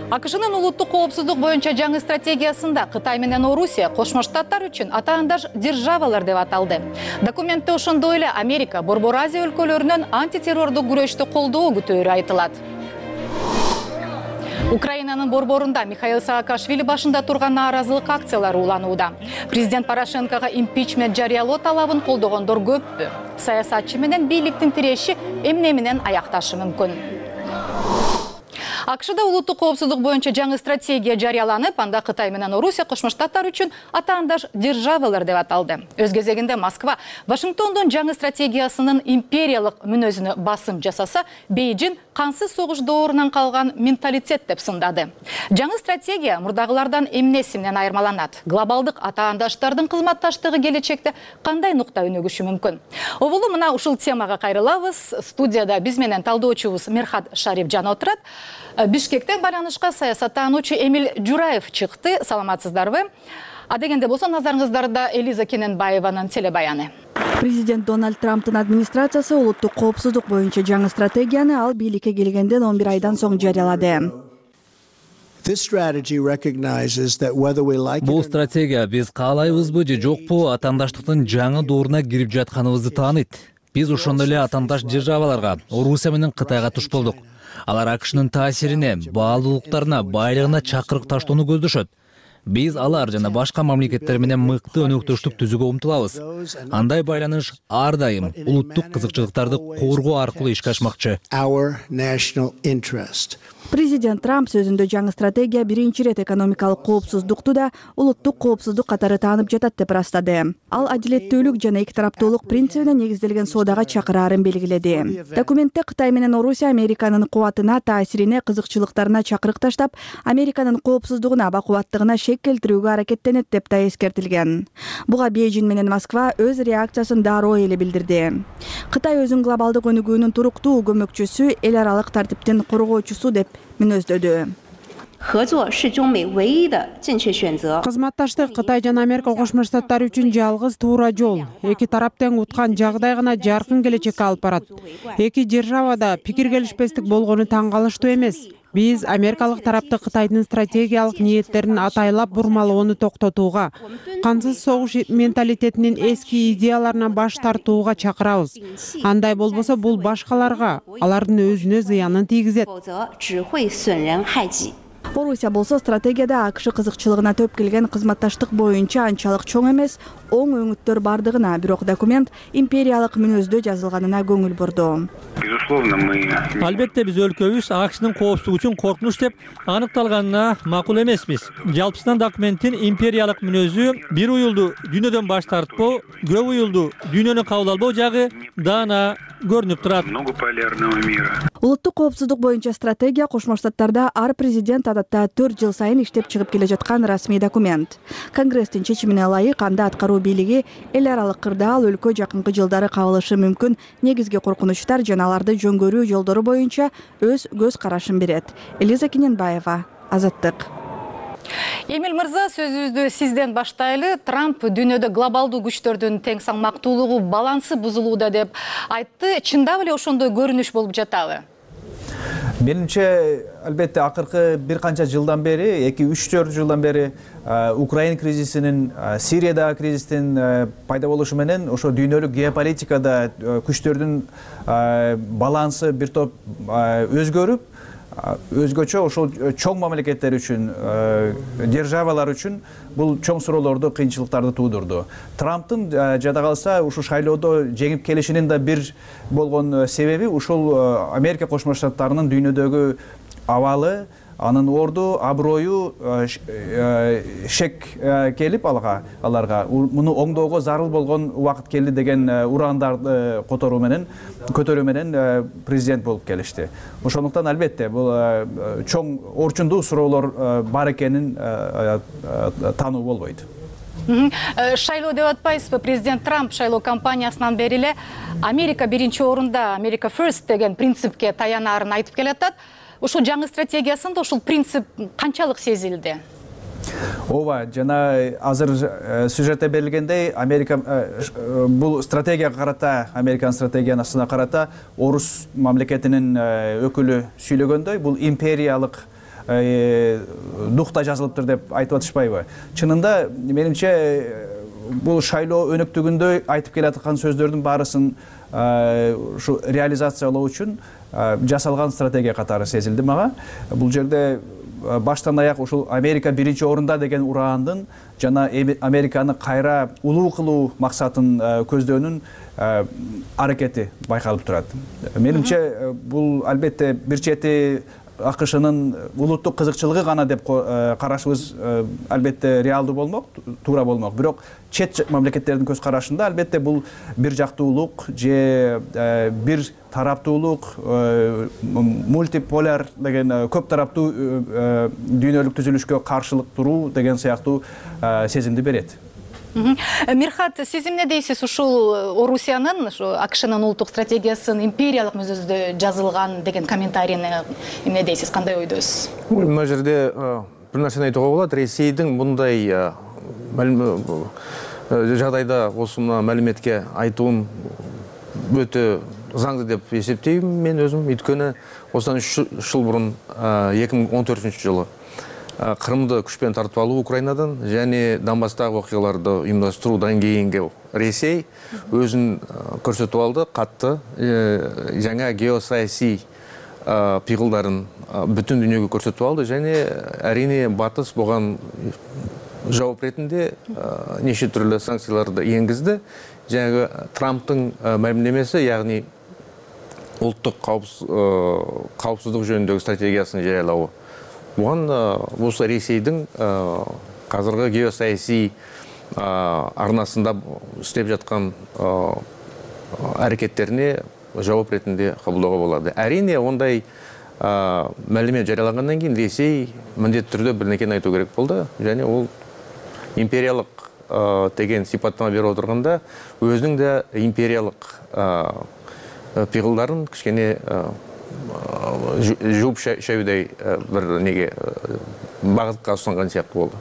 АКШнын улуттук коопсуздук боюнча жаңы стратегиясында Кытай менен Орусия Кошмо Штаттар үчүн атаандаш державалар деп аталды. Документте ошондой эле Америка Борбор Азия өлкөлөрүнөн антитеррордук күрөштү колдоо күтөөрү айтылат. Украинанын борборунда Михаил Саакашвили башында турган нааразылык акциялары уланууда. Президент Порошенкого импичмент жарыялоо талабын колдогондор көппү. Саясатчы менен бийликтин тиреши эмне менен аякташы мүмкүн. АКШда улуттук коопсуздук боюнча жаңы стратегия жарыяланып, анда Кытай менен Орусия Кошмо Штаттар үчүн атаандаш державалар деп аталды. Өз кезегинде Москва Вашингтондун жаңы стратегиясынын империялык мүнөзүнө басым жасаса, Бейжин кансыз согуш доорунан калган менталитет деп сындады. Жаңы стратегия мурдагылардан эмнеси менен айырмаланат? Глобалдык атаандаштардын кызматташтыгы келечекте кандай нукта өнүгүшү мүмкүн? Обулу мына ушул темага кайрылабыз. Студияда биз менен талдоочубуз Мерхат Шарифжан отурат. Бишкектен байланышка саясаттануучу Эмил Жураев чыкты. Саламатсыздарбы? Дегенде болсо назарыңыздарда Элиза Кененбаеванын телебаяны. Президент Дональд Трамптын администрациясы улуттук коопсуздук боюнча жаңы стратегияны ал бийликке келгенден 11 айдан соң жарыялады. Бул стратегия биз каалайбызбы же жокпу атаандаштыктын жаңы дооруна кирип жатканыбызды тааныйт. Биз ошондой эле атаандаш державаларга, Орусия менен Кытайга туш болдук. Алар АКШнын таасирине, баалуулуктарына, байлыгына чакырык таштоону көздөшөт. Биз алар жана башка мамлекеттер менен мыкты өнөктөштүк түзүүгө умтулабыз. Андай байланыш ар дайым улуттук кызыкчылыктарды коргоо аркылуу ишке ашмакчы. Президент Трамп сөзүндө жаңы стратегия биринчи ирет экономикалык коопсуздукту да улуттук коопсуздук катары таанып жатат деп ырастады. Ал адилеттүүлүк жана эки тараптуулук принцибине негизделген соодага чакыраарын белгиледи. Документте Кытай менен Орусия Американын кубатына, таасирине, кызыкчылыктарына чакырык таштап, Американын коопсуздугуна, бакубаттыгына шек келтирүүгө аракеттенет деп да эскертилген. Буга Бейжин менен Москва өз реакциясын дароо эле билдирди. Кытай өзүн глобалдык өнүгүүнүн туруктуу көмөкчүсү, эл аралык тартиптин коргоочусу деп мүнөздөдү. Кызматташтык Кытай жана Америка Кошмо Штаттары үчүн жалгыз туура жол. Эки тарап тең уткан жагдай гана жаркын келечекке алып барат. Эки державада пикир келишпестик болгону таң калыштуу эмес. Биз америкалык тарапты Кытайдын стратегиялык ниеттерин атайлап бурмалоону токтотууга, кансыз согуш менталитетинин эски идеяларынан баш тартууга чакырабыз. Андай болбосо бул башкаларга, алардын өзүнө зыянын тийгизет. Орусия болсо стратегияда АКШ кызыкчылыгына төп келген кызматташтык боюнча анчалык чоң эмес, оң өңүттөр бардыгына, бирок документ империялык мүнөздө жазылганына көңүл бурду. Албетте биз өлкөбүз АКШнын коопсуздугу үчүн коркунуч деп аныкталганына макул эмеспиз. Жалпысынан документтин империялык мүнөзү бир уюлду дүйнөдөн баш тартпоо, көп уюлду дүйнөнү кабыл албоо жагы даана көрүнүп турат. Улуттук коопсуздук боюнча стратегия Кошмо Штаттарда ар президент адатта 4 жыл сайын иштеп чыгып келе жаткан расмий документ. Конгресстин чечимине ылайык анда аткаруу бийлиги эл аралык кырдаал өлкө жакынкы жылдары кабылышы мүмкүн негизги коркунучтар жана аларды жөнгөрүү жолдору боюнча өз көз карашын берет. Элиза Кененбаева, Азаттык. Эмил мырза, сөзүбүздү сизден баштайлы. Трамп дүйнөдө глобалдуу күчтөрдүн тең салмактуулугу, балансы бузулууда деп айтты. Чындап эле ошондой көрүнүш болуп жатабы? Менимче, албетте, акыркы бир канча жылдан бери, 2-3-4 жылдан бери Украин кризисинин, Сириядагы кризистин пайда болушу менен ошо дүйнөлүк геополитикада күчтөрдүн балансы бир топ өзгөрүп, өзгөчө ошол чоң мамлекеттер үчүн, державалар үчүн бул чоң суроолорду, кыйынчылыктарды туудурду. Трамптын жада калса ушул шайлоодо жеңип келишинин да бир болгон себеби ушул Америка Кошмо Штаттарынын дүйнөдөгү абалы, анын орду, аброю шек келип аларга муну оңдоого зарыл болгон убакыт келди деген урандарды көтөрүү менен президент болуп келишти. Ошондуктан албетте бул чоң орчундуу суроолор бар экенин таануу болбойт. Шайлоо деп атпайсызбы? Президент Трамп шайлоо кампаниясынан бери эле Америка биринчи орунда, Америка First деген принципке таянарын айтып келатат. Ушул жаңы стратегиясында ушул принцип канчалык сезилди? Ооба, жана азыр сюжетте берилгендей, Америка бул стратегияга карата, Американын стратегиясына карата орус мамлекетинин өкүлү сүйлөгөндөй, бул империялык духта жазылыптыр деп айтып атышпайбы? Чынында, менимче, бул шайлоо өнөктүгүндө айтып келаткан сөздөрдүн баарысын ушу реализациялоо үчүн жасалган стратегия катары сезилди мага. Бул жерде баштан аяк ушул Америка биринчи орунда деген ураандын жана Американы кайра улуу кылуу максатын көздөөнүн аракети байкалып турат. Менимче, бул албетте бир чети АКШнын улуттук кызыкчылыгы гана деп карашыбыз албетте реалдуу болмок, туура болмок. Бирок чет мамлекеттердин көз карашында албетте бул бир жактуулук же бир тараптуулук, мультиполяр деген көп тараптуу дүйнөлүк түзүлүшкө каршылык туруу деген сыяктуу сезимди берет. Мирхат, сиз эмне дейсиз? Ушул Орусиянын, АКШнын улуттук стратегиясын империялык мүзөздө жазылган деген комментарийни эмне дейсиз? Кандай ойдосуз? Мына жерде бир нерсени айтууга болот. Ресейдин мындай жагдайда осы маалиметке айтуун өтө заңды деп эсептейм мен өзүм. Өйткөнү осудан 3 жыл мурун 2014-жылы Кырымды күчпен тартып алуу Украинадан және Донбасстагы окуяларды уюмдаштыруудан кийинки Ресей өзүн көрсөтүп алды, катты жаңа геосаясий пыйгылдарын бүтүн дүйнөгө көрсөтүп алды және әрине батыс буган жооп ретинде неше түрлүү санкцияларды энгизди. Жаңағы Трамптың мәлімдемесі, яғни ұлттық қауіпсіздік жөніндегі стратегиясын жариялауы. Бұған осы Ресейдің қазіргі геосаяси арнасында істеп жатқан әрекеттеріне жауап ретінде қабылдауға болады. Әрине, ондай мәлімет жарияланғаннан кейін Ресей міндетті түрде бір нәрсені айту керек болды, және ол империялық деген сипаттама беріп отырғанда өзінің де империялық пиғылдарын кішкене жуып шәудай бір неге бағытқа ұсынған сияқты болды.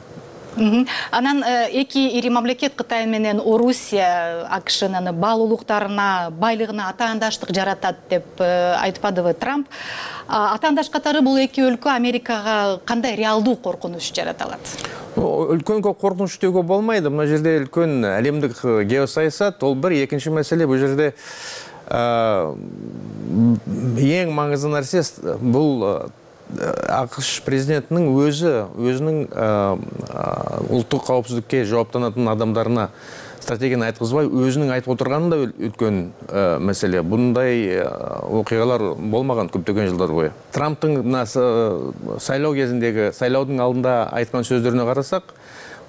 Анан эки ири мамлекет Кытай менен Орусия АКШнын баалуулуктарына, байлыгына атаандаштык жаратат деп айтпадыбы Трамп? Атаандаш катары бул эки өлкө Америкага кандай реалдуу коркунуч жарата алат? Үлкөн коркунуч деуге болмайды. Мына жерде үлкөн әлемдик геосаясат, ол бір. Екінші мәселе, бұл жерде ең маңызды нәрсе бұл АКШ президентінің өзінің ұлттық қауіпсіздікке жауаптанатын адамдарына стратегияны айтқызбай, өзінің айтып отырғаны да үлкен мәселе. Бұндай оқиғалар болмаған көптеген жылдар бойы. Трамптың сайлау кезіндегі, сайлаудың алдында айтқан сөздеріне қарасақ,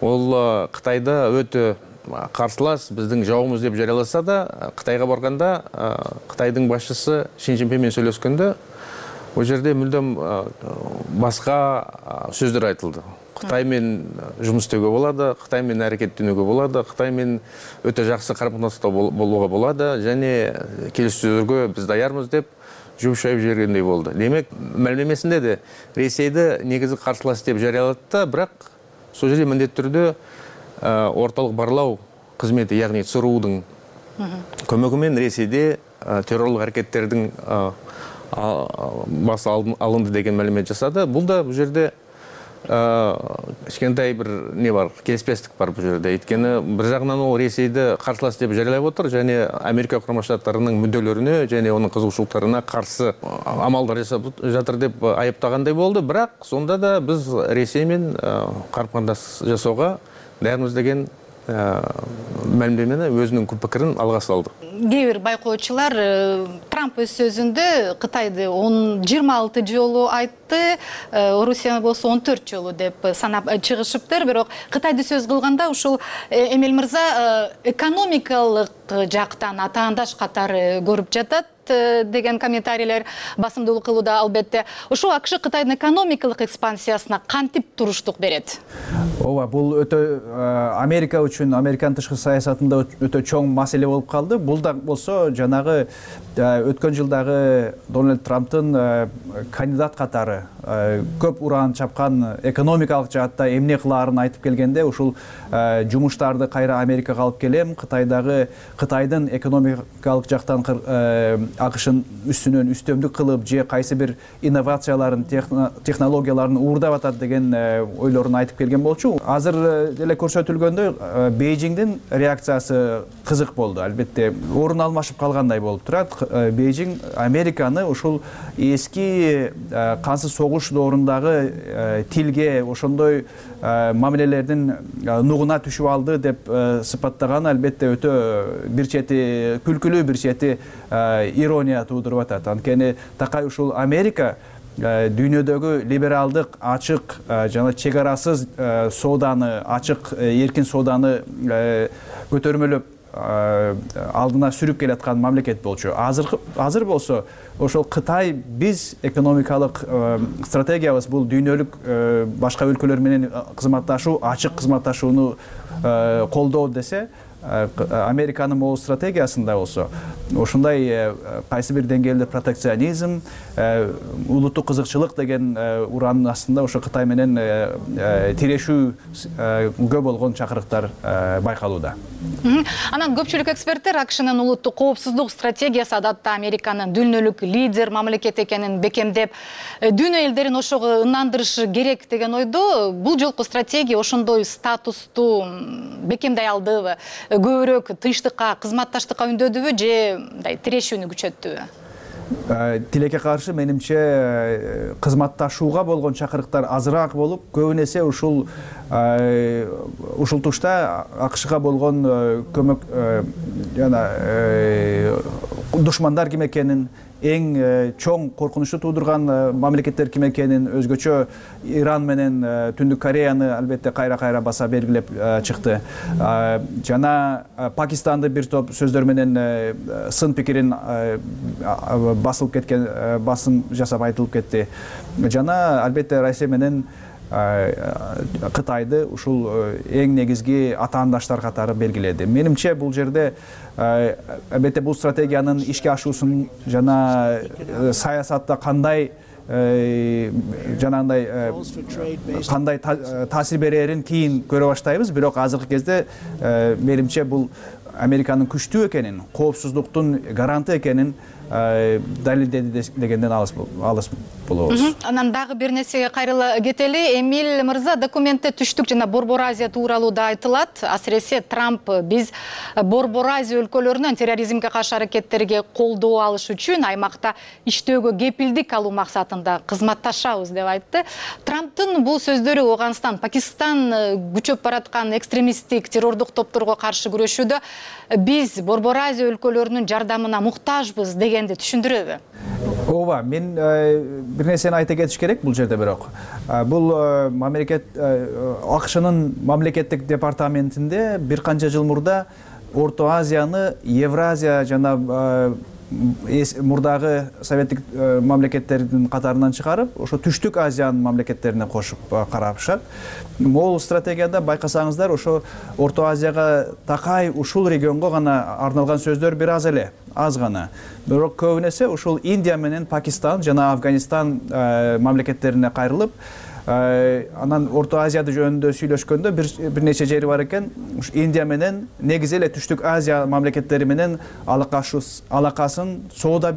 ол Қытайда өте қарсылас, біздің жауымыз деп жарияласа да, Қытайға барғанда Қытайдың басшысы Шин Цзиньпинмен сөйлескенде, ол жерде мүлдем басқа сөздер айтылды. Қытаймен жұмыс істеуге болады, Қытаймен әрекеттенуге болады, Қытаймен өте жақсы қарым-қатынаста болуға болады, және келіссөздерге біз даярмыз деп жуып шайып жібергендей болды. Демек, мәлімдемесінде де Ресейді негізі қарсылас деп жариялады да, бірақ сол жерде міндетті түрде орталық барлау қызметі, яғни ЦРУ-дың көмегімен Ресейде террорлық әрекеттердің басы алынды деген мәлімет жасады. Бұл да бұл жерде кішкентай бір не бар, келіспестік бар бұл жерде. Өйткені бір жағынан ол Ресейді қарсылас деп жариялап отыр, және Америка Құрама Штаттарының мүдделеріне және оның қызығушылықтарына қарсы амалдар жасап жатыр деп айыптағандай болды. Бірақ сонда да біз Ресеймен қарым-қатынас жасауға дайынбыз деген мәлімдемені өзінің пікірін алға салды. Кейбір байқаушылар Трамп өз сөзүндө Кытайды 26 жолу айтты, Орусия болсо 14 жолу деп санап чыгышыптыр. Бирок Кытайды сөз кылганда ушул Эмиль мырза экономикалык жактан атаандаш катары көрүп жатат деген комментарийлер басымдуулук кылууда. Албетте ушул АКШ Кытайдын экономикалык экспансиясына кантип туруштук берет? Ооба, бул өтө Америка үчүн, Американын тышкы саясатында өтө чоң маселе болуп калды. Бул да болсо жанагы өткөн жылдагы Дональд Трамптын кандидат катары көп уран чапкан экономикалык жаатта эмне кылаарын айтып келгенде, ушул жумуштарды кайра Америкага алып келем, Кытайдын экономикалык жактан АКШнын үстүнөн үстөмдүк кылып, же кайсы бир инновацияларын, технологияларын уурдап атат деген ойлорун айтып келген болчу. Азыр деле көрсөтүлгөндөй Бейжиңдин реакциясы кызык болду. Албетте орун алмашып калгандай болуп турат. Бейжиң Американы ушул эски кансыз согуш доорундагы тилге, ошондой мамилелердин нугуна түшүп алды деп сыпаттаган албетте өтө бир чети күлкүлүү, бир чети ирония туудуруп атат. Анткени такай ушул Америка дүйнөдөгү либералдык, ачык жана чек арасыз сооданы, ачык эркин сооданы көтөрмөлөп алдына сүрүп келаткан мамлекет болчу. Азыр болсо ошол Кытай биз экономикалык стратегиябыз бул дүйнөлүк башка өлкөлөр менен кызматташуу, ачык кызматташууну колдоо десе, Американын могул стратегиясында болсо ошондой кайсы бир деңгээлде протекционизм, улуттук кызыкчылык деген ураанын астында ошо Кытай менен тирешүү көп болгон чакырыктар байкалууда. Анан көпчүлүк эксперттер АКШнын улуттук коопсуздук стратегиясы адатта Американын дүйнөлүк лидер мамлекет экенин бекемдеп, дүйнө элдерин ошого ынандырышы керек деген ойдо. Бул жолку стратегия ошондой статусту бекемдей алдыбы? Көбүрөөк тынчтыкка, кызматташтыкка үндөдүбү же тирешүүнү күчөттүбү? Тилекке каршы менимче кызматташууга болгон чакырыктар азыраак болуп, көбүнесе ушул тушта АКШга болгон көмөк жана душмандар ким экенин, эң чоң коркунучу туудурган мамлекеттер ким экенин, өзгөчө Иран менен Түндүк Кореяны албетте кайра баса белгилеп чыкты. Жана Пакистанды бир топ сөздөр менен сын пикирин басылып кеткен, басым жасап айтылып кетти. Жана албетте Россия менен Кытайды ушул эң негизги атаандаштар катары белгиледи. Менимче бул жерде албетте бул стратегиянын ишке ашуусун жана саясатта кандай жанагындай кандай таасир берерин кийин көрө баштайбыз. Бирок азыркы кезде менимче бул Американын күчтүү экенин, коопсуздуктун гаранты экенин далилдеди дегенден алыс болобуз. Анан дагы бир нерсеге кайрыла кетели. Эмиль мырза, документте түштүк жана Борбор Азия тууралуу да айтылат. Асыресе Трамп биз Борбор Азия өлкөлөрүнөн терроризмге каршы аракеттерге колдоо алыш үчүн аймакта иштөөгө кепилдик алуу максатында кызматташабыз деп айтты. Трамптын бул сөздөрү Афганистан, Пакистан күчөп бараткан экстремисттик террордук топторго каршы күрөшүүдө биз Борбор Азия өлкөлөрүнүн жардамына муктажбыз дегенди түшүндүрөбү? Ооба, мен бир нерсени айта кетиш керек бул жерде. Бирок бул АКШнын мамлекеттик департаментинде бир канча жыл мурда Орто Азияны Евразия жана мурдагы советтик мамлекеттердин катарынан чыгарып, ошо Түштүк Азиянын мамлекеттерине кошуп карашат. Могул стратегияда байкасаңыздар, ошо Орто Азияга такай ушул регионго гана арналган сөздөр бир аз эле, аз гана. Бирок көбүнесе ушул Индия менен Пакистан жана Афганистан мамлекеттерине кайрылып, Анан Орто Азияды жөнүндө сүйлөшкөндө бир нече жери бар экен. Индия менен негизи эле Түштүк Азия мамлекеттери менен алакасын соода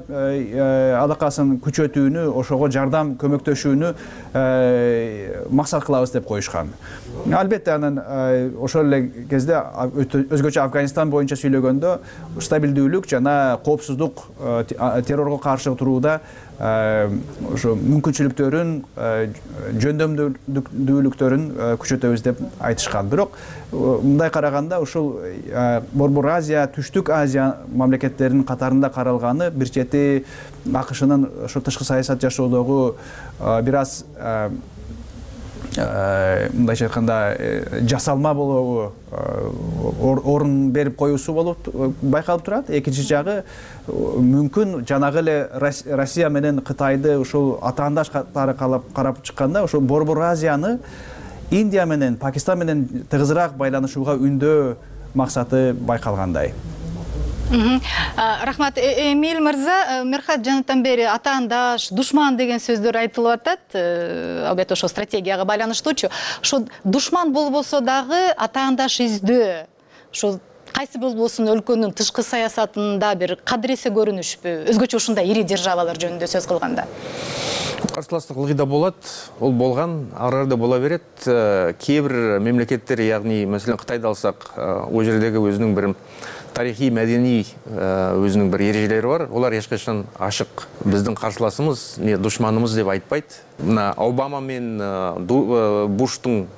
алакасын күчөтүүнү, ошого жардам көмөктөшүүнү максат кылабыз деп коюшкан. Албетте анан ошол эле кезде өзгөчө Афганистан боюнча сүйлөгөндө стабилдүүлүк жана коопсуздук, террорго каршы турууда ошо мүмкүнчүлүктөрүн, жөндөмдүүлүктөрүн күчөтөбүз деп айтышкан. Бирок мындай караганда ушул Борбор Азия, Түштүк Азия мамлекеттеринин катарында каралганы бир чети АКШнын ошо тышкы саясат жашоодогу бир аз мындайча айтканда жасалма болобу, орун берип коюусу болуп байкалып турат. Экинчи жагы мүмкүн жанагы эле Россия менен Кытайды ушул атаандаш катары карап чыкканда ошол Борбор Азияны Индия менен, Пакистан менен тыгызыраак байланышууга үндөө максаты байкалгандай. Рахмат. Эмиль мырза, Мерхат жанатан бери атаандаш, душман деген сөздөр айтылып атат. Албетте ошо стратегияга байланыштуучу. Ошо душман болбосо дагы атаандаш издөө. Ошо кайсы болбосун өлкөнүн тышкы саясатында бир кадыресе көрүнүшпү? Өзгөчө ушундай ири державалар жөнүндө сөз кылганда. Карсылаштык ылгый да болот, ол болгон, ары да бола берет. Кээ бир мемлекеттер, ягни маселен Кытайды алсак, ол жердеги өзүнүн бир тарихи, мәдени өзүнүн бир эрежелери бар. Олар эч качан ашык биздин каршыласыбыз, душманыбыз деп айтпайт. Мына Обама мен Буштун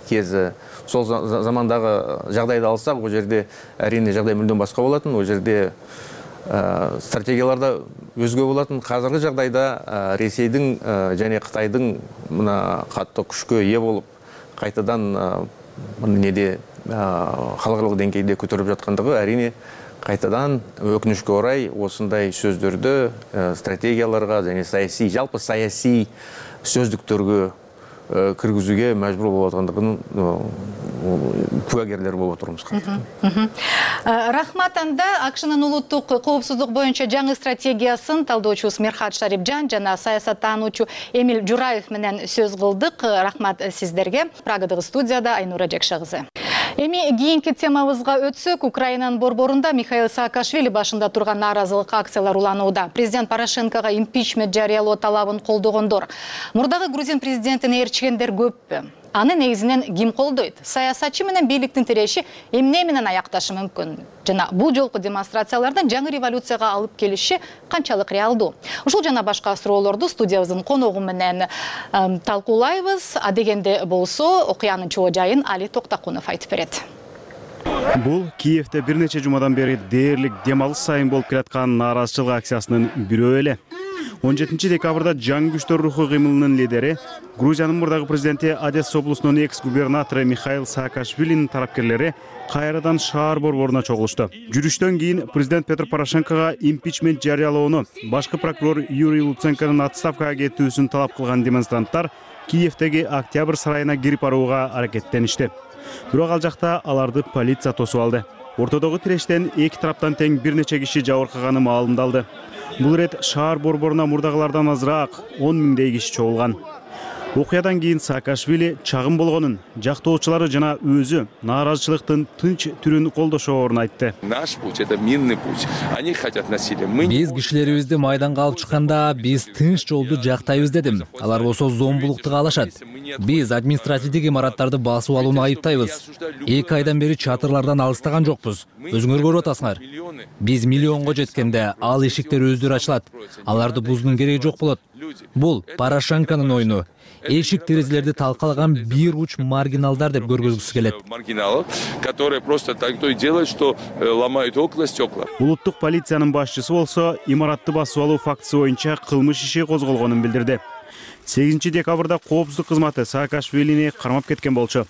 кези сол замандагы жагдайды алсак, ол жерде әрине жагдай мүлдөн башка болотун. Ол жерде стратегияларда өзгө болотун. Казыркы жагдайда Ресейдин жана Кытайдын мына катты күчкө ээ болуп, кайтадан неде халыкаралык деңгейде көтөрүлүп жаткандыгы әрине кайтадан өкүнүчкө орай осындай сөздөрдү стратегияларга жана саясий, жалпы саясий сөздүктөргө киргизүүгө мажбур болуп аткандыгын кулагерлери болуп отурмуз. Рахмат. Анда АКШнын улуттук коопсуздук боюнча жаңы стратегиясын талдоочубуз Мерхат Шарипжан жана саясаттануучу Эмиль Жураев менен сөз кылдык. Рахмат сиздерге. Прагадагы студияда Айнура Жекше кызы. Эми кийинки темабызга өтсөк, Украинанын борборунда Михаил Саакашвили башында турган нааразылык акциялар уланууда. Президент Порошенкого импичмент жарыялоо талабын колдогондор. Мурдагы грузин президентин ээрчигендер көппү? Аны негизинен ким колдойт? Саясатчы менен бийликтин тиреши эмне менен аякташы мүмкүн? Жана бул жолку демонстрациялардан жаңы революцияга алып келиши канчалык реалдуу? Ушул жана башка суроолорду студиябыздын коногу менен талкуулайбыз. Адегенде болсо, окуянын чоо жайын Али Токтакунов айтып берет. Бул Киевде бир нече жумадан бери дээрлик демалыш сайын болуп келаткан нааразычылык акциясынын бирөө эле. 17 декабрда жаңы күчтөр руху кыймылынын лидери, Грузиянын мурдагы президенти Одесса облусунун экс-губернатору Михаил Саакашвилинин тарапкерлери кайрадан шаар борборуна чогулушту. Жүрүштөн кийин президент Петр Порошенкого импичмент жарыялоону, башкы прокурор Юрий Луценконун отставкага кетүүсүн талап кылган демонстранттар Киевдеги Октябрь сарайына кирип барууга аракеттеништи. Бирок ал жакта аларды полиция тосуп алды. Ортодогу тирештен эки тараптан тең бир нече киши жабыркаганы маалымдалды. Бул рет шаар борборуна мурдагылардан азыраак 10 миңдей киши чогулган. Окуядан кийин Саакашвили чагым болгонун, жактоочулары жана өзү нааразычылыктын тынч түрүн колдошоорун айтты. Наш путь — это мирный путь. Они хотят насилия. Биз кишилерибизди майданга алып чыкканда биз тынч жолду жактайбыз дедим. Алар болсо зомбулукту каалашат. Биз административдик имараттарды басып алууну айыптайбыз. 2 айдан бери чатырлардан алыстаган жокпуз. Өзүңөр көрүп атасыңар. Биз миллионго жеткенде ал эшиктер өздөрү ачылат. Аларды бузуунун кереги жок болот. Бул Порошенконун ойуну. Эшик терезелерди талкалаган бир уч маргиналдар деп көргөзгүсү келет. Маргиналов, которые просто так то и делают, что ломают окна, стекла. Улуттук полициянын башчысы болсо, имаратты басып алуу фактысы боюнча кылмыш иши козголгонун билдирди. 8 декабрда коопсуздук кызматы Саакашвилини кармап кеткен болчу.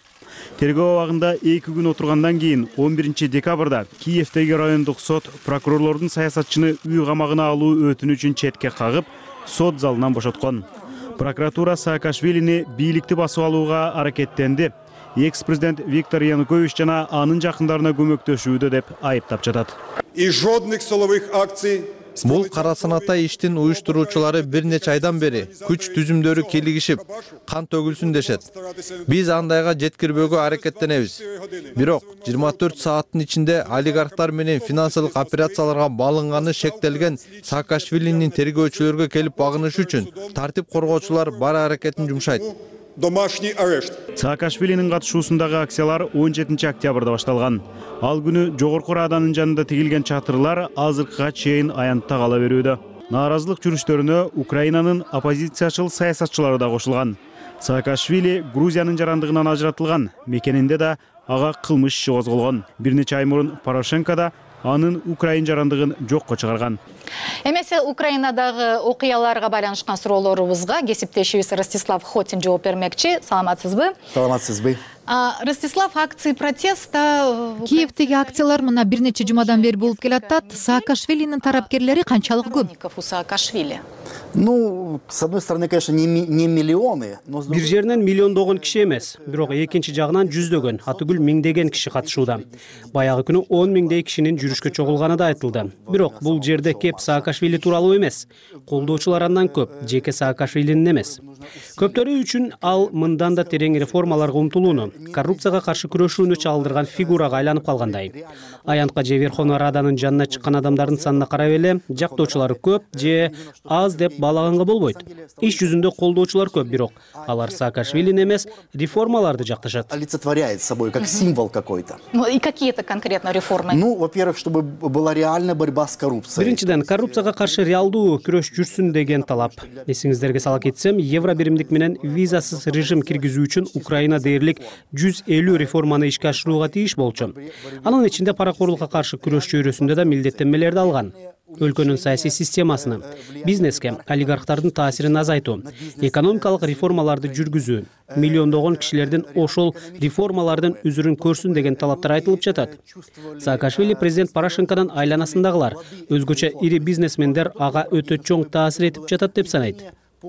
Тергөө абагында 2 күн отургандан кийин 11 декабрда Киевдеги райондук сот прокурорлордун саясатчыны үй камагына алуу өтүнүчүн четке кагып, сот залынан бошоткон. Прокуратура Саакашвилини бийликти басып алууга аракеттенди. Экс-президент Виктор Янукович жана анын жакындарына көмөктөшүүдө деп айыптап жатат. И жодных силовых акций Бул кара санатай иштин уюштуруучулары бир нече айдан бери күч түзүмдөрү келигишип, кан төгүлсүн дешет. Биз андайга жеткирбөөгө аракеттенебиз. Бирок 24 сааттын ичинде олигархтар менен финансылык операцияларга балынганы шектелген Саакашвилинин тергөөчүлөргө келип багынышы үчүн тартип коргоочулар бар аракетин жумшайт. Домашний арешт. Саакашвилинин катышуусундагы акциялар 17 октябрда башталган. Ал күнү Жогорку Раданын жанында тигилген чатырлар азыркыга чейин аянтта кала берүүдө. Нааразылык жүрүштөрүнө Украинанын оппозициячыл саясатчылары да кошулган. Саакашвили Грузиянын жарандыгынан ажыратылган, мекенинде да ага кылмыш иши козголгон. Бир нече ай мурун Порошенко да анын Украин жарандыгын жокко чыгарган. Эмесе Украинадагы окуяларга байланышкан суроолорубузга кесиптешибиз Ростислав Хотин жооп бермекчи. Саламатсызбы? Саламатсызбы. Ростислав, акции протеста Киевдеги акциялар мына бир нече жумадан бери болуп келатат. Саакашвилинин тарапкерлери канчалык көп? У Саакашвили. Ну, с одной стороны, конечно, не миллионы, но бир жеринен миллиондогон киши эмес, бирок экинчи жагынан жүздөгөн, атүгүл миңдеген киши катышууда. Баягы күнү 10 миңдей кишинин жүрүшкө чогулганы да айтылды. Бирок бул жерде кеп Саакашвили тууралуу эмес. Колдоочулар андан көп, жеке Саакашвилинин эмес. Көптөрү үчүн ал мындан да терең реформаларга умтулууну, коррупцияга каршы күрөшүүнү чагылдырган фигурага айланып калгандай. Аянтка же Верховный Раданын жанына чыккан адамдардын санына карап эле жактоочулары көп же аз деп баалаганга болбойт. Иш жүзүндө колдоочулар көп, бирок алар Саакашвилини эмес, реформаларды жакташат. Олицетворяет собой как символ какой-то. Ну и какие это конкретно реформы? Ну, во-первых, чтобы была реальная борьба с коррупцией. Биринчиден, коррупцияга каршы реалдуу күрөш жүрсүн деген талап. Эсиңиздерге сала кетсем, евро биримдик менен визасыз режим киргизүү үчүн Украина дээрлик 150 реформаны ишке ашырууга тийиш болчу. Анын ичинде паракорлукка каршы күрөш чөйрөсүндө да милдеттенмелерди алган. Өлкөнүн саясий системасына, бизнеске, олигархтардын таасирин азайтуу, экономикалык реформаларды жүргүзүү, миллиондогон кишилердин ошол реформалардын үзүрүн көрсүн деген талаптар айтылып жатат. Саакашвили президент Порошенконун айланасындагылар, өзгөчө ири бизнесмендер ага өтө чоң таасир этип жатат деп санайт.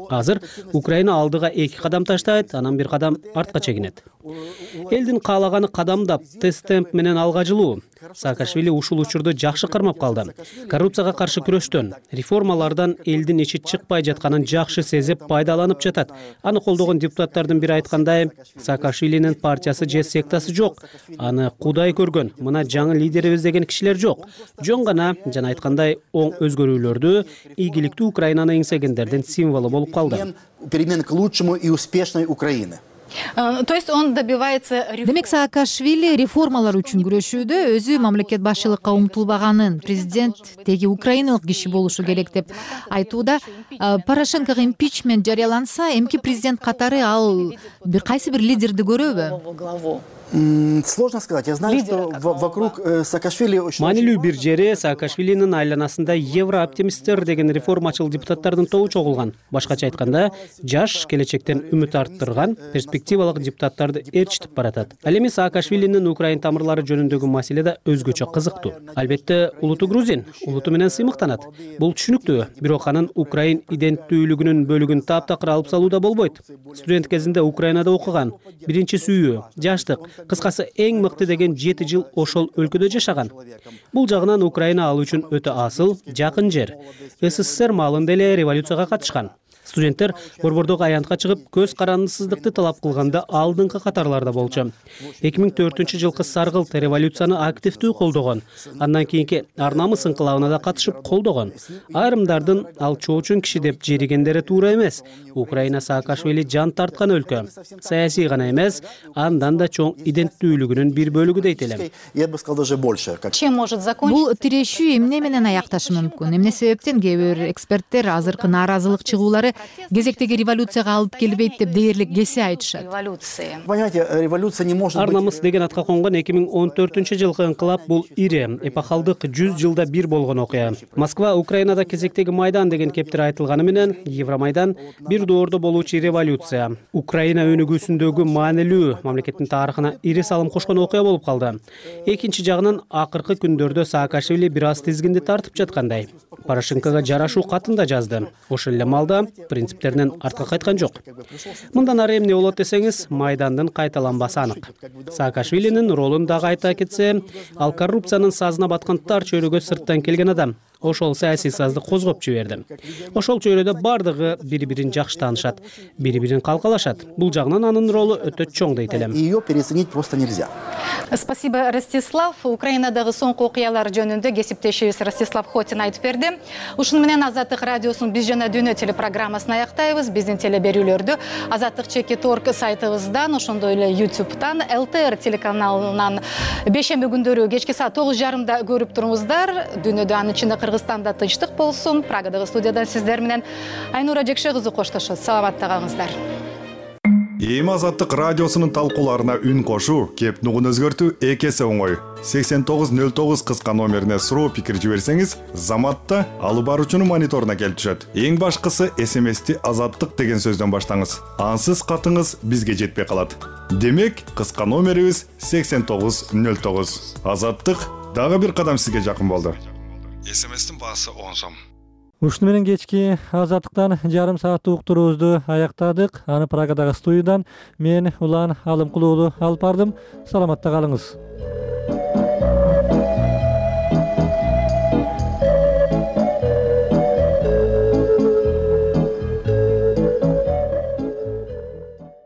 Азыр Украина алдыга 2 кадам таштайт, анан 1 кадам артка чегинет. Элдин каалаганы кадамдап, тест-темп менен алга жылуу. Саакашвили ушул учурду жакшы кармап калды. Коррупцияга каршы күрөштөн, реформалардан элдин ичи чыкпай жатканын жакшы сезип пайдаланып жатат. Аны колдогон депутаттардын бири айткандай, Саакашвилинин партиясы же сектасы жок. Аны Кудай көргөн, мына жаңы лидерибиз деген кишилер жок. Жөн гана жана айткандай оң өзгөрүүлөрдү ийгиликтүү Украинаны эңсегендердин символу болуп калды. Перемен к лучшему и успешной Украины. То есть он добивается... Демек Саакашвили реформалар үчүн күрөшүүдө өзү мамлекет башчылыкка умтулбаганын, президент теги украиналык киши болушу керек деп айтууда. Порошенкого импичмент жарыяланса, эмки президент катары ал бир кайсы бир лидерди көрөбү? Сложно сказать. Я знаю, что вокруг Саакашвили... Маанилүү бир жери Саакашвилинин айланасында еврооптимисттер деген реформачыл депутаттардын тобу чогулган. Башкача айтканда, жаш, келечектен үмүт арттырган, перспективалык депутаттарды ээрчитип баратат. Ал эми Саакашвилинин Украин тамырлары жөнүндөгү маселе да өзгөчө кызыктуу. Албетте, улуту грузин, улуту менен сыймыктанат. Бул түшүнүктүү, бирок анын Украин иденттүүлүгүнүн бөлүгүн таптакыр алып салуу да болбойт. Студент кезинде Украинада окуган, биринчи сүйүү, жаштык, кыскасы эң мыкты деген 7 жыл ошол өлкөдө жашаган. Бул жагынан Украина ал үчүн өтө асыл, жакын жер. СССР маалында эле революцияга катышкан. Студенттер борбордогу аянтка чыгып, көз карандысыздыкты талап кылганда алдыңкы катарларда болчу. 2004-жылкы саргылт революцияны активдүү колдогон. Андан кийинки ар намыс инкылабына да катышып колдогон. Айрымдардын ал чоочун киши деп жеригендери туура эмес. Украина Саакашвили жан тарткан өлкө. Саясий гана эмес, андан да чоң иденттүүлүгүнүн бир бөлүгү дейт элем. Я бы сказал, даже больше. Чем может закончиться? Бул тирешүү эмне менен аякташы мүмкүн? Эмне себептен кээ бир эксперттер азыркы нааразылык чыгуулары кезектеги революцияга алып келбейт деп дээрлик кесе айтышат. Понимаете, революция не может быть... Ар намыс деген атка конгон 2014-жылкы инкылап бул ири, эпохалдык 100 жылда бир болгон окуя. Москва Украинада кезектеги Майдан деген кептир айтылганы менен Евромайдан бир доордо болуучу революция. Украина өнүгүүсүндөгү маанилүү мамлекеттин тарыхына ири салым кошкон окуя болуп калды. Экинчи жагынан акыркы күндөрдө Саакашвили бир аз тизгинди тартып жаткандай. Порошенкого жарашуу катын да жазды. Ошол эле маалда принциптеринен артка кайткан жок. Мындан ары эмне болот десеңиз, Майдандын кайталанбасы анык. Саакашвилинин ролун дагы айта кетсе, ал коррупциянын сазына баткан тар чөйрөгө сырттан келген адам. ошол саясий сазды козгоп жиберди. Ошол чөйрөдө бардыгы бири бирин жакшы таанышат, бири бирин калкалашат. Бул жагынан анын ролу өтө чоң дейт элем. Ее переоценить просто нельзя. Спасибо, Ростислав. Украинадагы соңку окуялар жөнүндө кесиптешибиз Ростислав Хотин айтып берди. Ушуну менен Азаттык радиосунун Биз жана дүйнө телепрограммасын аяктайбыз. Биздин телеберүүлөрдү Азаттык.org сайтыбыздан, ошондой эле YouTube'дан, ЛТР телеканалынан бейшемби күндөрү кечки саат 9:30 көрүп туруңуздар. Дүйнөдө, анын ичинде Кыргызстанда тынчтык болсун. Прагадагы студиядан сиздер менен Айнура Жекше кызы коштошот. Саламатта калыңыздар. Эми Азаттык радиосунун талкууларына үн кошуу, кеп нугун өзгөртүү эки эсе оңой. 8909 кыска номерине суроо пикир жиберсеңиз, Заматта алып баруучунун мониторуна келип түшөт. Эң башкысы СМСти Азаттык деген сөздөн баштаңыз. Ансыз катыңыз бизге жетпей калат. Демек, кыска номерибиз 8909. Азаттык дагы бир кадам сизге жакын болду. СМСтин баасы 10 сом. Ушуну менен кечки Азаттыктан жарым сааттык уктуруубузду аяктадык. Аны Прагадагы студиядан мен Улан Алымкулуулу алып бардым. Саламатта калыңыз.